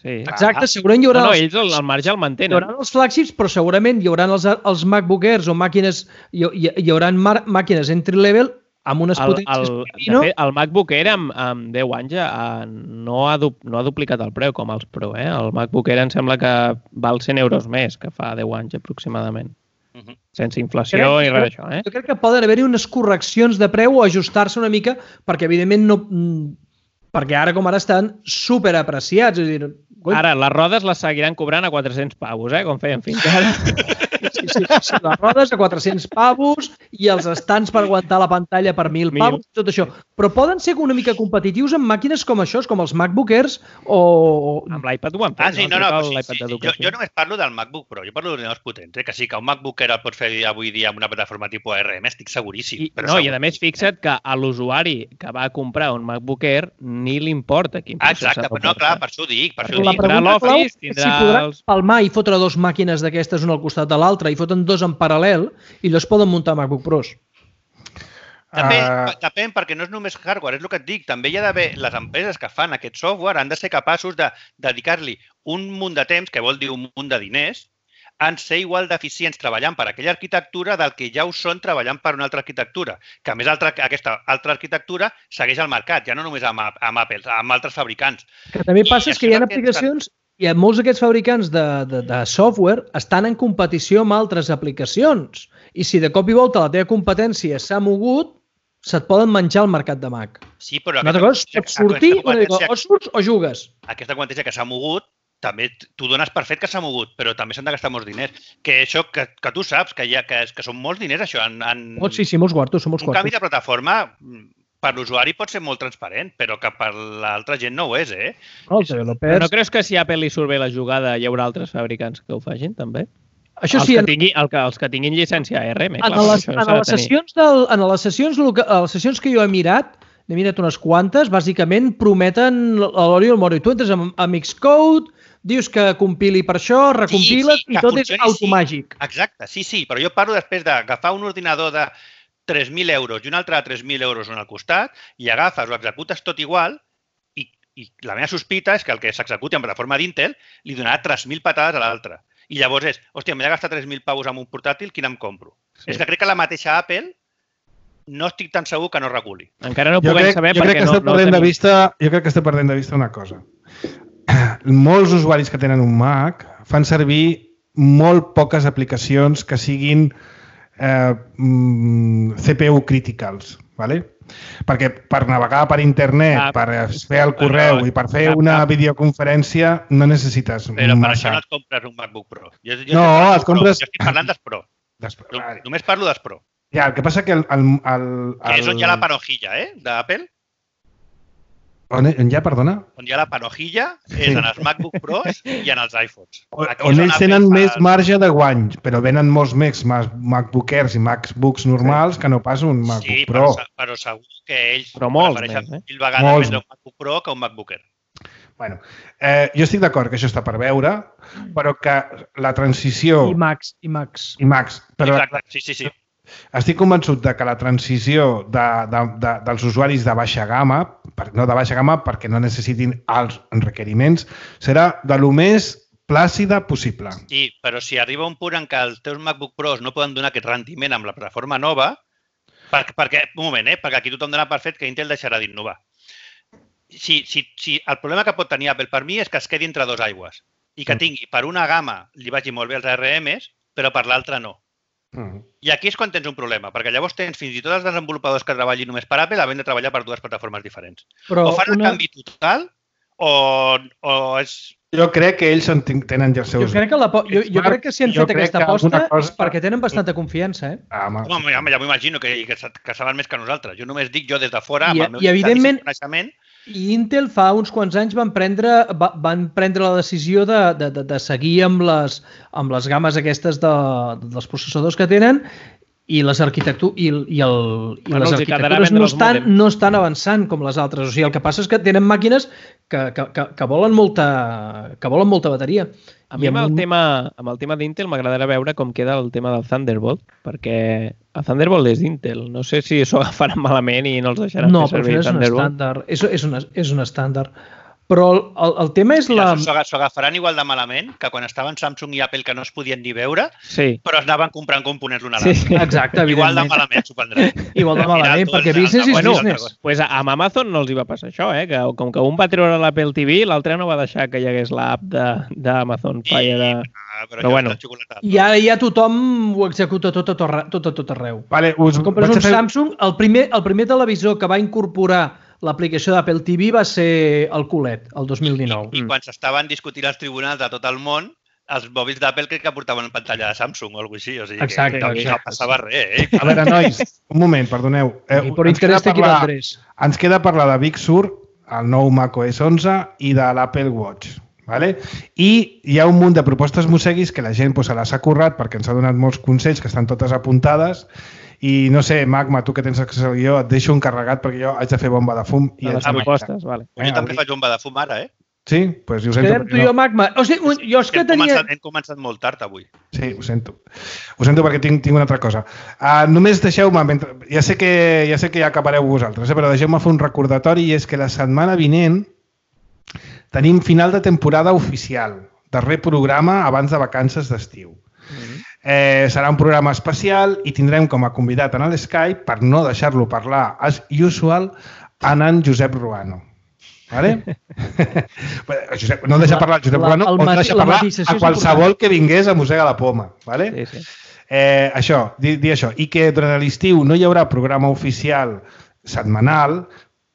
Sí. Exacte, segurament hi haurà... No, no, els, ells el, el marge el mantenen. Hi haurà els flagships, però segurament hi haurà els, els MacBook Airs o màquines, hi, hi, hi haurà màquines entry level amb unes El, potències... el, Pepino. de fet, el MacBook Air amb, amb deu anys ja eh, no, ha du, no ha duplicat el preu com els Pro. Eh? El MacBook Air em sembla que val cent euros més que fa deu anys aproximadament. Uh -huh. Sense inflació crec, i res d'això. Eh? Jo crec que poden haver-hi unes correccions de preu o ajustar-se una mica perquè, evidentment, no... perquè ara com ara estan superapreciats. És a dir, ara, les rodes les seguiran cobrant a quatre-cents pavos, eh? Com feien fins ara. Sí, sí, sí, les rodes a quatre-cents pavos i els estants per aguantar la pantalla per mil pavos, tot això. Però poden ser una mica competitius amb màquines com això, com els MacBook Airs o... Amb l'iPad ho han fet. Ah, sí, no, no, no sí, sí, jo, jo només parlo del MacBook Pro, jo parlo d'ordinadors potents, eh? Que sí, que un MacBook Air el pots fer avui dia amb una plataforma tipus A R M, estic seguríssim. I, però no, segur. i a més, fixa't que a l'usuari que va comprar un MacBook Air ni li importa quin processador Exacte, però no, clar, per això ho dic, per això ho La dic. Tindrà pregunta clau l'Office, és tindrà si podran els- palmar i fotre dos màquines d'aquestes una al costat de l'altra i foten dos en paral·lel i llavors poden muntar MacBook Pros. Depèn, Ah. depèn, perquè no és només hardware, és el que et dic. També hi ha d'haver, les empreses que fan aquest software han de ser capaços de dedicar-li un munt de temps, que vol dir un munt de diners, en ser igual d'eficients treballant per aquella arquitectura del que ja ho són treballant per una altra arquitectura. Que a més altra, aquesta altra arquitectura segueix al mercat, ja no només amb, amb Apple, amb altres fabricants. Que també I passa és que això hi ha és el que aplicacions i molts d'aquests fabricants de, de, de software estan en competició amb altres aplicacions. I si de cop i volta la teva competència s'ha mogut, se't poden menjar el mercat de Mac. Sí, però Una altra cosa és pots sortir aquesta una mica, competència- o surts o jugues. aquesta competència que s'ha mogut, també tu dones per fet que s'ha mogut, però també s'han de gastar molts diners. Que això, que, que tu saps, que, hi ha, que, que són molts diners, això. En, en... Oh, sí, sí, molts quartos, són molts Un canvi quartos. de plataforma per l'usuari pot ser molt transparent, però que per l'altra gent no ho és, eh? No, els developers... Però no creus que si a Apple li surt bé la jugada hi haurà altres fabricants que ho facin, també? Això els, sí, que en, tingui, el que, els que tinguin llicència A R M. en, Clar, les, això en, s'ha de les tenir. sessions del, en les sessions, loca- a les sessions que jo he mirat, n'he mirat unes quantes, bàsicament prometen l'Ori i el Moro. I tu entres amb, amb Xcode, dius que compili per això, recompiles Sí, sí, i que tot és funcioni, automàgic. Sí. Exacte, sí, sí, però jo parlo després d'agafar un ordinador de tres mil euros i un altre de tres mil euros un al costat i agafes o executes tot igual i, i la meva sospita és que el que s'executi en plataforma d'Intel li donarà tres mil patades a l'altre. I llavors és, hòstia, m'he de gastar tres mil pavos amb un portàtil, quin em compro? Sí. És que crec que la mateixa Apple no estic tan segur que no reguli. Encara no ho Jo puguem crec, saber jo crec perquè que no, estem no perdent de tenim... vista, jo crec que estem perdent de vista una cosa. Molts usuaris que tenen un Mac fan servir molt poques aplicacions que siguin eh, mm, C P U criticals, ¿vale? Perquè per navegar per internet, Ah, per fer el correu però- i per fer cap, una cap. videoconferència no necessites Però per massa. això no et compres un MacBook Pro. Jo, jo No, estic parlant et compres- Pro. Jo estic parlant dels Pro. Després, No, vale. només parlo dels Pro. Ja, el que passa que el, el, el, Que és on hi ha el- la panojilla, eh, d'Apple. On, on hi ha, perdona? On hi ha la panojilla és Sí. en els MacBook Pros i en els iPhones. On, Aquí on és ells Apple tenen fa- més marge de guany, però venen molts més Mac- MacBook Airs i MacBooks normals que no pas un MacBook Sí, Pro. però, se- però segur que ells Però molts prefereixen més, eh? mil vegades Molts. vendre un MacBook Pro que un MacBook Air. Bueno, eh, jo estic d'acord que això està per veure, però que la transició... I Max, i Max. I Max, però Exacte, sí, sí, sí. estic convençut de que la transició de, de, de, dels usuaris de baixa gamma, per, no de baixa gamma perquè no necessitin alts requeriments, serà de lo més plàcida possible. Sí, però si arriba un punt en què els teus MacBook Pros no poden donar aquest rendiment amb la plataforma nova, perquè, perquè un moment, eh? perquè aquí tothom dona per fet que Intel deixarà d'innovar. Si, si, si el problema que pot tenir Apple per mi és que es quedi entre dos aigües i que tingui per una gamma li vagi molt bé els A R Ms, però per l'altra no. Mm. I aquí és quan tens un problema, perquè llavors tens fins i tot els desenvolupadors que treballin només per Apple havent de treballar per dues plataformes diferents. Però O fan un una... canvi total o, o és... Jo crec que ells en ten- tenen ja els Jo seus... crec que, la, po- jo, jo crec que si han Jo fet crec aquesta que aposta alguna cosa- és perquè tenen bastanta confiança, eh? Ah, home, Home, ja, ja m'ho imagino que, que, sa- que saben més que nosaltres. Jo només dic jo des de fora, I- amb el meu i evidentment- coneixement. I Intel fa uns quants anys van prendre, va, van prendre la decisió de, de, de, de seguir amb les, amb les games aquestes de, dels processadors que tenen i les arquitectures i, i, el, i Bueno, les els hi quedarà arquitectures vendre no els estan, mòdems. no estan avançant com les altres. O sigui, el que passa és que tenen màquines que, que, que, que, volen, molta, que volen molta bateria. A mi amb el tema, amb el tema d'Intel m'agradarà veure com queda el tema del Thunderbolt, perquè el Thunderbolt és d'Intel. No sé si s'ho agafaran malament i no els deixaran No, fer però servir és un Thunderbolt. estàndard. És, és, un, és un estàndard. Però el, el, el tema és la... Mira, s'ho agafaran igual de malament que quan estaven Samsung i Apple que no es podien ni veure, sí. però es anaven comprant components l'un a Sí. l'altre. Exacte, Igual de evidentment. malament s'ho prendran. Igual de malament, perquè business is Bueno, business. pues amb Amazon no els hi va passar això, eh? Que com que un va treure l'Apple T V, l'altre no va deixar que hi hagués l'app d'Amazon Fire. De... Ah, però Però bueno. I ara ja tothom ho executa tot a tot, arre- tot, a tot arreu. Vale, us Compres vaig un a fer... Samsung, el primer, el primer televisor que va incorporar l'aplicació d'Apple T V va ser el culet, el dos mil dinou. I quan s'estaven discutint als tribunals de tot el món, els mòbils d'Apple crec que portaven pantalla de Samsung o alguna cosa així. O sigui, Exacte, que, que no exacte. passava res, eh? A veure, nois, un moment, perdoneu. Eh, I per ens queda interès té parlar- Andrés. Ens queda parlar de Big Sur, el nou macOS onze i de l'Apple Watch. Vale? I hi ha un munt de propostes musseguis que la gent pues, se les ha currat perquè ens ha donat molts consells que estan totes apuntades i no sé, Magma, tu que tens accés al guió, et deixo encarregat perquè jo haig de fer bomba de fum. I De haig les de propostes, vale. Jo també faig bomba de fum ara, eh? Sí? Doncs pues ho sento. Quedem tu i jo, Magma. O sigui, un- jo és que Hem tenia... començat, hem començat molt tard avui. Sí, ho sento. Ho sento perquè tinc, tinc una altra cosa. Uh, només deixeu-me, mentre... ja, sé que, ja sé que ja acabareu vosaltres, eh? Però deixeu-me fer un recordatori i és que la setmana vinent tenim final de temporada oficial, darrer programa abans de vacances d'estiu. Mm-hmm. Eh, serà un programa especial i tindrem com a convidat en l'Skype, per no deixar-lo parlar as usual, en en Josep Ruano. Vale? Josep, no deixa parlar el Josep La- Ruano, el o no mati- deixa la parlar matisació a és qualsevol que vingués a Mossega la Poma. Vale? Sí, sí. Eh, això, dir, dir això. I que durant l'estiu no hi haurà programa oficial setmanal,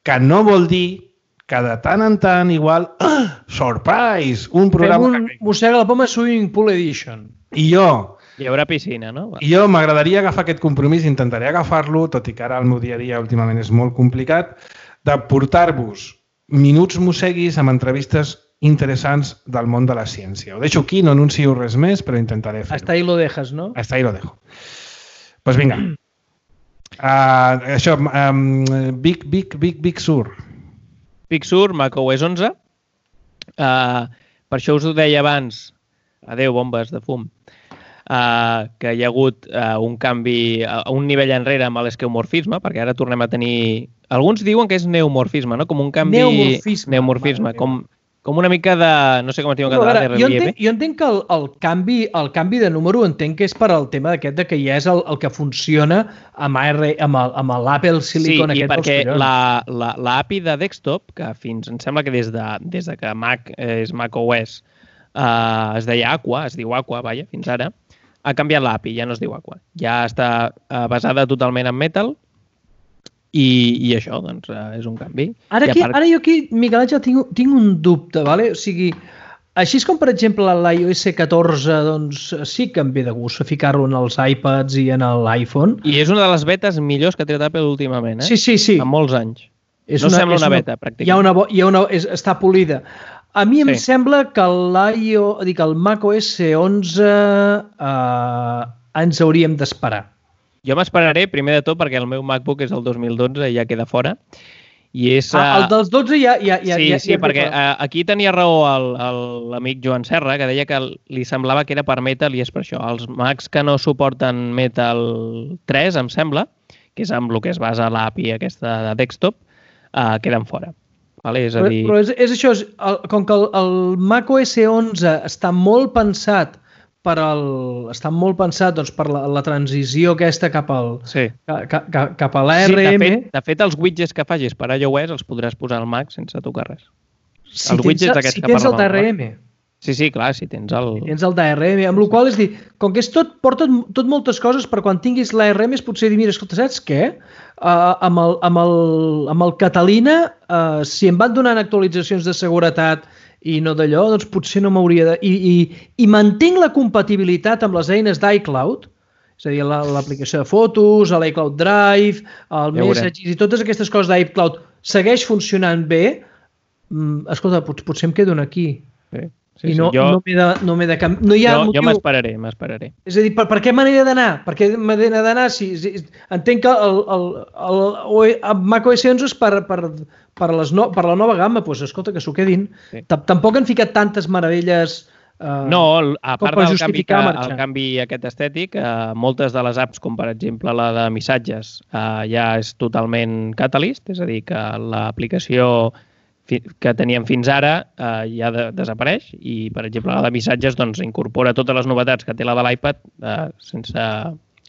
que no vol dir que de tant en tant igual, ah, surprise, un Fem programa... un Mossega la Poma Swimming Pool Edition. I jo, Hi haurà piscina, no? Va. i jo m'agradaria agafar aquest compromís, intentaré agafar-lo, tot i que ara el meu dia a dia últimament és molt complicat, de portar-vos minuts mosseguis amb entrevistes interessants del món de la ciència. Ho deixo aquí, no anuncio res més, però intentaré fer-ho. Hasta ahí lo dejas, no? Hasta ahí lo dejo. Pues vinga. Uh, això, um, Big, Big, Big, Big Sur. Big Sur, macOS onze. Uh, per això us ho deia abans, adeu bombes de fum, uh, que hi ha hagut uh, un canvi, uh, un nivell enrere amb l'esqueomorfisme, perquè ara tornem a tenir... Alguns diuen que és neomorfisme, no? Com un canvi... Neomorfisme. Neomorfisme, Mare com, com una mica de... No sé com es diu en No, a català, veure, de jo, relieve. entenc, jo entenc que el, el, canvi, el canvi de número entenc que és per al tema d'aquest de que ja és el, el que funciona amb, A R, amb, el, amb l'Apple Silicon sí, aquest i perquè dels collons. la, la, la A P I de desktop, que fins, em sembla que des de, des de que Mac és macOS eh, es deia Aqua, es diu Aqua, vaja, fins ara, ha canviat l'A P I, ja no es diu Aqua. Ja està eh, basada totalment en Metal i, i això, doncs, eh, és un canvi. Ara, I aquí, part- ara jo aquí, Miquel Àngel, tinc, tinc un dubte, vale? O sigui, així com, per exemple, l'iOS catorze, doncs sí que em ve de gust ficar-lo en els iPads i en l'iPhone. I és una de les betes millors que ha tret Apple últimament, eh? Sí, sí, sí. En molts anys. És no sembla una beta, pràcticament. Hi ha una, bo- hi ha una, és, està polida. A mi em Sí. sembla que l'iO, dic, el macOS onze eh, ens hauríem d'esperar. Jo m'esperaré, primer de tot, perquè el meu MacBook és el dos mil dotze i ja queda fora. I és... Ah, el eh, dels dotze ja... ja, ja sí, ja, sí, ja perquè ja, uh, aquí tenia raó el- el- l'amic Joan Serra, que deia que li semblava que era per Metal i és per això. Els Macs que no suporten Metal tres, em sembla, que és amb el que es basa l'A P I aquesta de desktop, uh, queden fora. Vale? És a però, dir... però és, és això, és, el, com que el, el macOS onze està molt pensat per al, està molt pensat doncs, per la, la transició aquesta cap al Sí. ca, ca, cap a Sí, l'A R M. de, fet, de fet, els widgets que facis per iOS els podràs posar al Mac sense tocar res. si els tens, widgets aquests si que tens el parlàvem, D R M. Sí, sí, clar, si tens el... Si tens el D R M, amb la qual és dir, com que és tot, porta tot moltes coses per quan tinguis l'A R M és potser dir, mira, escolta, saps què? Uh, amb, el, amb, el, amb el Catalina, uh, si em van donant actualitzacions de seguretat i no d'allò, doncs potser no m'hauria de... I, i, I mantinc la compatibilitat amb les eines d'iCloud, és a dir, la- l'aplicació de fotos, l'iCloud Drive, el Ja veurem. Messages i totes aquestes coses d'iCloud segueix funcionant bé, mm, escolta, pot, potser em quedo aquí. Sí, Sí, sí, I no, sí. Jo, no m'he de, no m'he de canviar. No hi ha jo, motiu... jo m'esperaré, m'esperaré. És a dir, per, per què me n'he d'anar? Per què me n'he d'anar? Si, si, entenc que el, el, el, el, el macOS onze és per, per, per, les no, per la nova gamma. Doncs pues, escolta, que s'ho quedin. Sí. Sí. Tampoc han ficat tantes meravelles... Eh, No, el- a com part per del canvi, que, justificar marxar. el canvi aquest estètic, eh, moltes de les apps, com per exemple la de missatges, eh, ja és totalment Catalyst, és a dir, que l'aplicació que teníem fins ara eh, ja de, desapareix i, per exemple, la de missatges doncs, incorpora totes les novetats que té la de l'iPad eh, sense,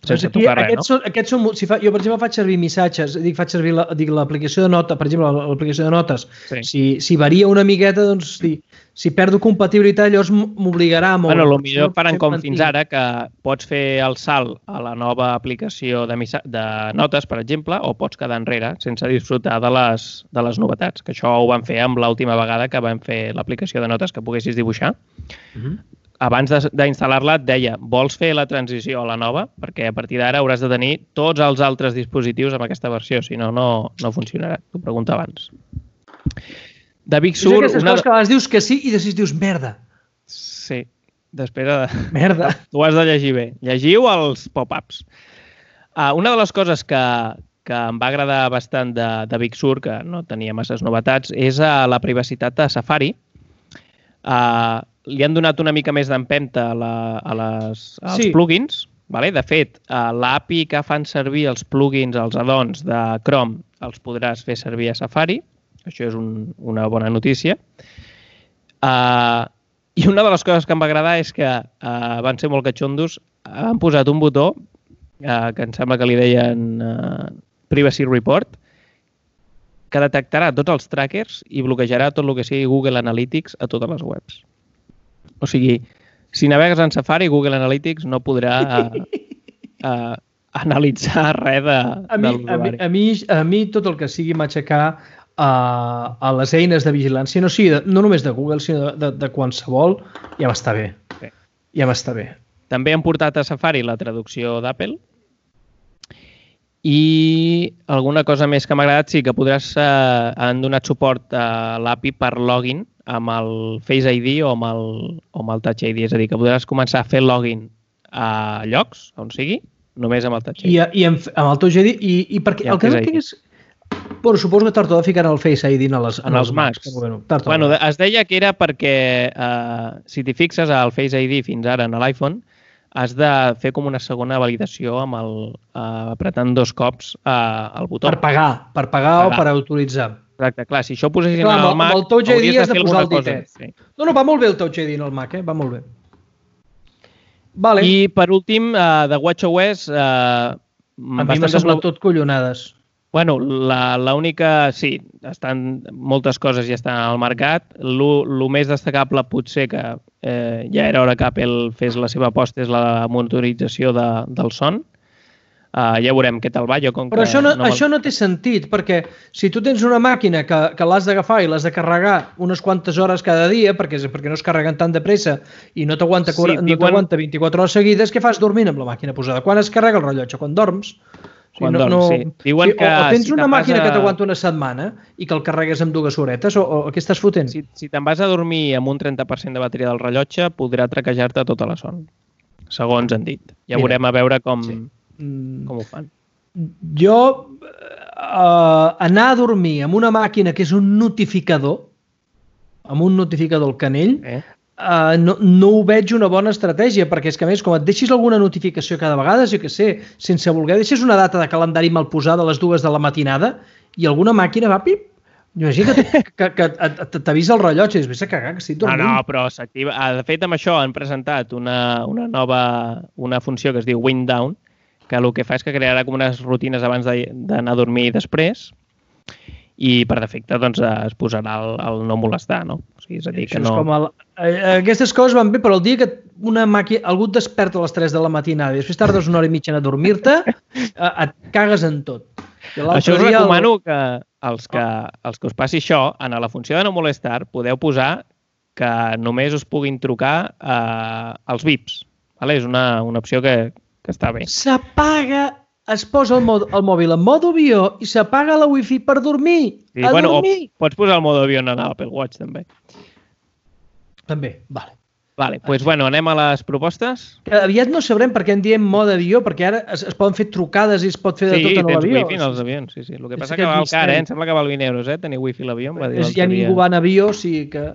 sense aquí, tocar res. Aquests no? són, aquests són, si fa, jo, per exemple, faig servir missatges, dic, faig servir la, dic, l'aplicació de notes, per exemple, l'aplicació de notes, Sí. si, si varia una miqueta, doncs, si, si perdo compatibilitat, llavors m'obligarà a moure. Bueno, potser faran com fins ara, que pots fer el salt a la nova aplicació de, missa... de notes, per exemple, o pots quedar enrere sense disfrutar de les, de les novetats, que això ho van fer amb l'última vegada que vam fer l'aplicació de notes que poguessis dibuixar. Uh -huh. Abans d'instal·lar-la et deia, vols fer la transició a la nova? Perquè a partir d'ara hauràs de tenir tots els altres dispositius amb aquesta versió, si no, no, no funcionarà. T'ho pregunto abans. De Big Sur... És aquestes una... coses que a vegades dius que sí i després dius merda. Sí, després de... Merda. Tu has de llegir bé. Llegiu els pop-ups. Uh, una de les coses que, que em va agradar bastant de, de Big Sur, que no tenia masses novetats, és uh, la privacitat de Safari. Uh, li han donat una mica més d'empenta a, la, a les, als Sí. plugins. Vale? De fet, uh, l'A P I que fan servir els plugins, els add-ons de Chrome, els podràs fer servir a Safari. Això és un, una bona notícia. Uh, I una de les coses que em va agradar és que uh, van ser molt catxondos. Han posat un botó uh, que em sembla que li deien uh, Privacy Report, que detectarà tots els trackers i bloquejarà tot el que sigui Google Analytics a totes les webs. O sigui, si navegues en Safari, Google Analytics no podrà uh, uh, analitzar res de, A mi, de a, mi, l'usuari. a, mi, a mi tot el que sigui matxacar a, a les eines de vigilància, no, sigui de, no només de Google, sinó de, de, de qualsevol, ja m'està bé. Sí. Ja m'està bé. També han portat a Safari la traducció d'Apple i alguna cosa més que m'ha agradat, sí, que podràs, eh, han donat suport a l'A P I per login amb el Face I D o amb el, o amb el Touch I D, és a dir, que podràs començar a fer login a llocs, on sigui, només amb el Touch I D. I, i amb, amb el Touch I D, i, i perquè I el que no Face I D. tinguis... Bueno, suposo que tard o d'hora ficaran el Face I D en, les, En els Macs. Bueno, tard o Bueno, d'hora. es deia que era perquè, eh, si t'hi fixes al Face I D fins ara en l'iPhone, has de fer com una segona validació amb el, eh, apretant dos cops eh, el botó. Per pagar, per pagar Pagar. o per autoritzar. Exacte, clar, si això ho posessin Clar, al amb, Mac, amb el Touch I D hauries has de fer posar el alguna cosa. ditet. Sí. No, no, va molt bé el Touch I D en el Mac, eh? Va molt bé. Vale. I per últim, eh, de WatchOS, eh, a mi m'ha bastantes semblat no- tot collonades. Bueno, la, la única, sí, estan, moltes coses ja estan al mercat. Lo, lo més destacable potser que eh, ja era hora que Apple fes la seva aposta és la monitorització de, del son. Uh, ja veurem què tal va. Jo, com Però que això no, no me'l- això no té sentit, perquè si tu tens una màquina que, que l'has d'agafar i l'has de carregar unes quantes hores cada dia, perquè, perquè no es carreguen tan de pressa i no t'aguanta Sí, sí, no diuen- t'aguanta vint-i-quatre hores seguides, què fas dormint amb la màquina posada? Quan es carrega el rellotge? Quan dorms? O sigui, Quan dorms, sí. Diuen sí, que o, o tens si una te'n vas màquina a- que t'aguanta una setmana i que el carregues amb dues horetes, o, o què estàs fotent? Si, si te'n vas a dormir amb un trenta per cent de bateria del rellotge, podrà traquejar-te tota la son, segons han dit. Ja Mira, veurem a veure com, sí. Mm, com ho fan. jo eh, anar a dormir amb una màquina que és un notificador, amb un notificador al canell, Eh? Uh, no, no ho veig una bona estratègia, perquè és que a més, com et deixis alguna notificació cada vegada, jo que sé, sense voler, deixes una data de calendari mal posada a les dues de la matinada i alguna màquina va, pip, imagina que, que, que et- t'avisa el rellotge i dius, vés a cagar, que estic No, dormint. no, però s'activa. Ah, de fet, amb això han presentat una, una nova una funció que es diu Wind Down, que el que fa és que crearà com unes rutines abans de- d'anar a dormir i després, i per defecte doncs, es posarà el, el no molestar, no? O sigui, és a dir, que Això no... és com el, eh, aquestes coses van bé, però el dia que una màquina, algú et desperta a les tres de la matinada i després tardes una hora i mitja en adormir-te, eh, et cagues en tot. I l'altre Això us dia el- recomano que els, que els que us passi això, en la funció de no molestar, podeu posar que només us puguin trucar eh, els bips. Vale? És una, una opció que, que està bé. S'apaga, es posa el, mod, el mòbil en modo avió i s'apaga la wifi per dormir. Sí, a bueno, dormir. o pots posar el mode avió en l'Apple Watch, també. També, vale. Vale, doncs, bueno, anem a les propostes. Que aviat no sabrem per què en diem mode avió, perquè ara es, es poden fer trucades i es pot fer de Sí, tot en tens l'avió. wifi en els avions, sí, sí. El que És passa que aquest val car, eh? misteri. Em sembla que val vint euros, eh? Tenir wifi a l'avió, em va dir És, l'altre ja dia. ningú va en avió, o sigui que...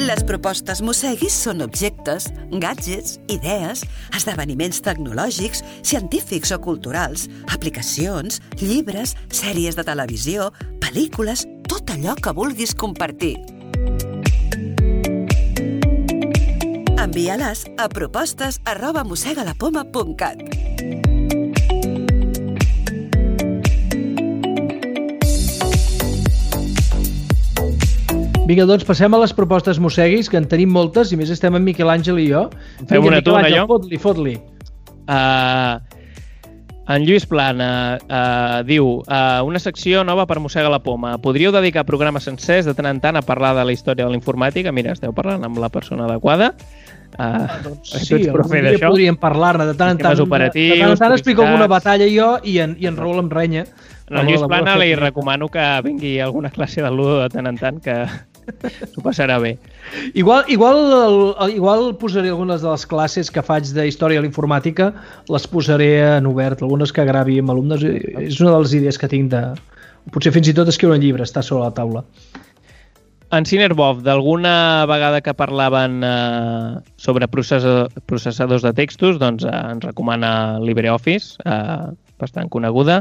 Les propostes Mosseguis són objectes, gadgets, idees, esdeveniments tecnològics, científics o culturals, aplicacions, llibres, sèries de televisió, pel·lícules, tot allò que vulguis compartir. Envia-les a propostes arroba mossegalapoma punt cat. Vinga, doncs passem a les propostes Mosseguis, que en tenim moltes, i més estem en Miquel Àngel i jo. Fem una tu, una jo? Fot-li, fot-li. Uh, en Lluís Plana uh, diu uh, una secció nova per Mossega la Poma. Podríeu dedicar programes sencers de tant en tant a parlar de la història de la informàtica? Mira, esteu parlant amb la persona adequada. Uh, doncs sí, algun dia podríem parlar-ne de tant en tant. De tant en tant explico alguna batalla jo i en, i en Raül em renya. No, en Lluís Plana li recomano que vingui a alguna classe de Ludo de tant en tant, que s'ho passarà bé. Igual, igual, igual posaré algunes de les classes que faig de història de l'informàtica, les posaré en obert, algunes que gravi amb alumnes. És una de les idees que tinc de... Potser fins i tot escriure un llibre, està sobre la taula. En Cinerbov, d'alguna vegada que parlaven eh, sobre processadors de textos, doncs eh, ens recomana LibreOffice, eh, bastant coneguda.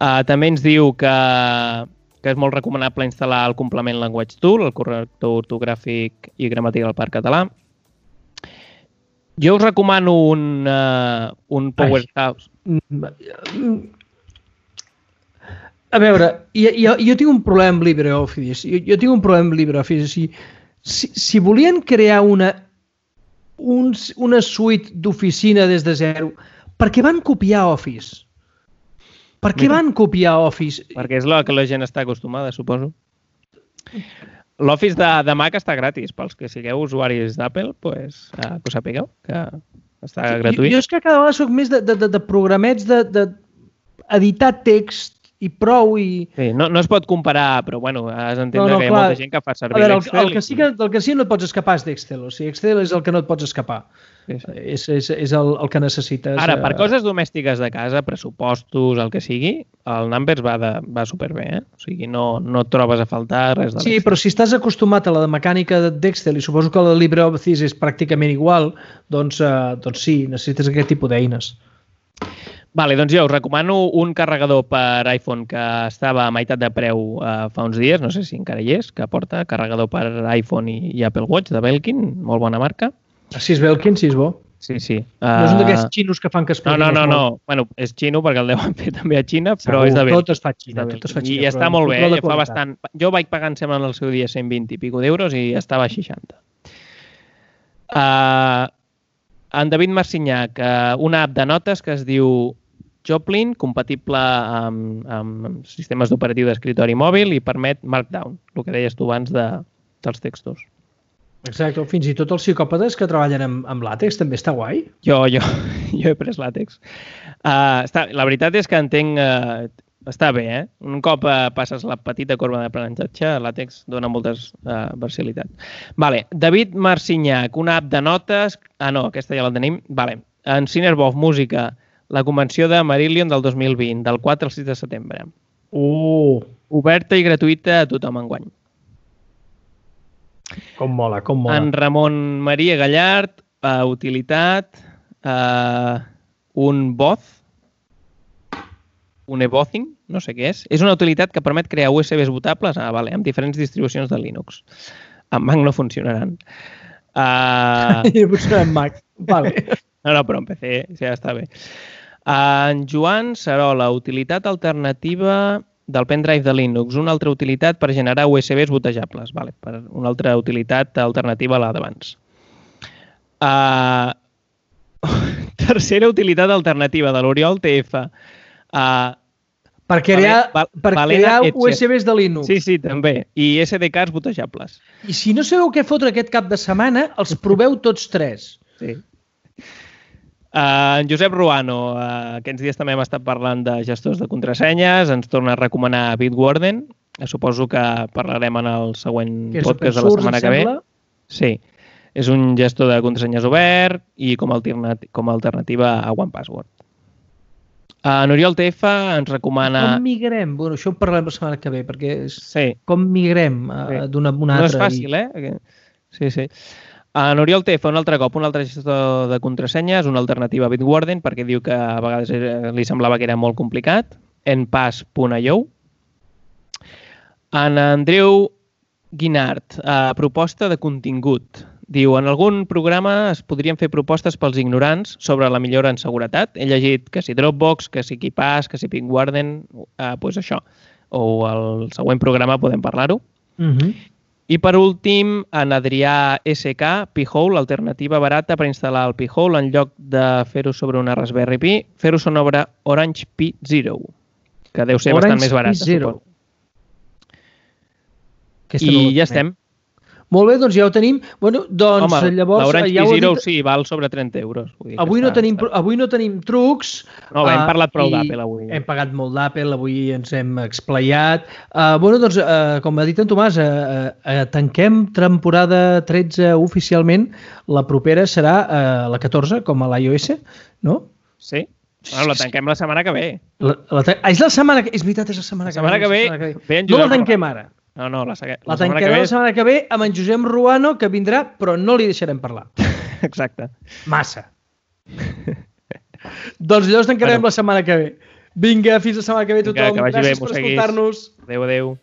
Eh, també ens diu que, que és molt recomanable instal·lar el complement Language Tool, el corrector ortogràfic i gramàtica per català. Jo us recomano un, uh, un Powerhouse. A veure, jo, jo, jo tinc un problema amb LibreOffice. Jo, jo tinc un problema amb LibreOffice. Si, si, si volien crear una, un, una suite d'oficina des de zero, per què van copiar Office? Per què van copiar Office? Perquè és el que la gent està acostumada, suposo. L'Office de, de Mac està gratis. Pels que sigueu usuaris d'Apple, pues, eh, que ho sapigueu, que està gratuït. Jo, jo és que cada vegada soc més de, de, de, de programets de, de editar text i prou i... Sí, no, no es pot comparar, però bueno, has d'entendre no, no, que hi ha clar, molta gent que fa servir veure, l'Excel. El, el, que sí que, el que sí no et pots escapar és d'Excel. O sigui, Excel és el que no et pots escapar. Sí, sí. És, és, és el, el que necessites. Ara, per coses domèstiques de casa, pressupostos, el que sigui, el Numbers va, de, va superbé, eh? O sigui, no, no et trobes a faltar res de l'Excel. Sí, però si estàs acostumat a la mecànica d'Excel i suposo que la LibreOffice és pràcticament igual, doncs, eh, doncs sí, necessites aquest tipus d'eines. Vale, doncs jo us recomano un carregador per iPhone que estava a meitat de preu eh, fa uns dies, no sé si encara hi és, que porta carregador per iPhone i, i Apple Watch de Belkin, molt bona marca. Si és Belkin, sí és bo. Sí, sí. Uh... No és un d'aquests xinos que fan que es No, no, no, no. Bueno, és xino perquè el deuen fer també a Xina, però Segur, és de Belkin. Tot es fa a Xina, tot es fa a Xina. I està molt bé, eh? Fa bastant... Jo vaig pagar, em sembla, en el seu dia cent vint i pico d'euros i estava a seixanta. Uh... En David Marcinyac, uh, una app de notes que es diu Joplin, compatible amb, amb sistemes d'operatiu d'escritori mòbil i permet Markdown, el que deies tu abans de, dels textos. Exacte, fins i tot els psicòpates que treballen amb, amb làtex també està guai. Jo, jo, jo he pres làtex. Uh, està, la veritat és que entenc... Uh, està bé, eh? Un cop uh, passes la petita corba d'aprenentatge, làtex dona moltes uh, versatilitats. Vale, David Marcinyac, una app de notes... Ah, no, aquesta ja la tenim. Vale. En Cinerbov, música, la convenció de Marillion del dos mil vint, del quatre al sis de setembre. Uh! Oberta i gratuïta a tothom enguany. Com mola, com mola. En Ramon Maria Gallard, uh, utilitat, uh, un Both, un eBothing, no sé què és. És una utilitat que permet crear U S Bs botables ah, vale, amb diferents distribucions de Linux. En Mac no funcionaran. Uh... I no funcionaran en Mac. Vale. No, no, però en P C ja està bé. Uh, en Joan Sarola, utilitat alternativa del pendrive de Linux. Una altra utilitat per generar U S Bs botejables. Vale, per una altra utilitat alternativa a la d'abans. Uh... Tercera utilitat alternativa de l'Oriol T F. Uh, per crear, val, per crear U S Bs de Linux. Sí, sí, també. I S D Ks botejables. I si no sabeu què fotre aquest cap de setmana, els proveu tots tres. Sí. Uh, en Josep Ruano, uh, aquests dies també hem estat parlant de gestors de contrasenyes, ens torna a recomanar Bitwarden. Suposo que parlarem en el següent podcast de la setmana que ve. Sí. És un gestor de contrasenyes obert i com a, alternat com a alternativa a OnePassword. Uh, N'Oriol T F ens recomana... Com migrem? Bueno, això ho parlarem la setmana que ve, perquè és... Sí. Com migrem uh, sí. d'una a una altra. No és fàcil, i... eh? Sí, sí. En Oriol T fa un altre cop un altre gestor de contrasenyes, una alternativa a Bitwarden, perquè diu que a vegades li semblava que era molt complicat. enpass punt i o. En Andreu Guinart, eh, proposta de contingut. Diu, en algun programa es podrien fer propostes pels ignorants sobre la millora en seguretat. He llegit que si Dropbox, que si KeePass, que si Bitwarden, eh, doncs això. O el següent programa podem parlar-ho. Uh-huh. I per últim, en Adrià S K, P-Hole, alternativa barata per instal·lar el P-Hole en lloc de fer-ho sobre una Raspberry Pi, fer-ho sobre Orange Pi Zero, que deu ser Orange bastant més barata, Pi Zero. suposo. Aquesta I no ja estem. Molt bé, doncs ja ho tenim. Bueno, doncs Home, llavors... l'Orange ja Pi ho he Zero dit... sí, val sobre trenta euros. Vull dir que Avui no, està, tenim, està... avui no tenim trucs. No, bé, hem uh, parlat prou i d'Apple avui. Hem pagat molt d'Apple, avui ens hem explayat. Uh, bueno, doncs, uh, com ha dit en Tomàs, uh, uh, tanquem temporada tretze oficialment. La propera serà uh, la catorze, com a l'iOS, no? Sí. Bueno, la tanquem la setmana que ve. La, la, ah, és la setmana que... És veritat, és la setmana, La setmana que ve, que ve. ve en No Josep la tanquem ara. No, no, la, la, La setmana tancarem que ve... la setmana que ve amb en Josep Ruano, que vindrà, però no li deixarem parlar. Exacte. Massa. Doncs llavors tancarem bueno. la setmana que ve. Vinga, fins la setmana que ve tothom. Vinga, que vagi Gràcies bé, per escoltar-nos. Adéu, adéu.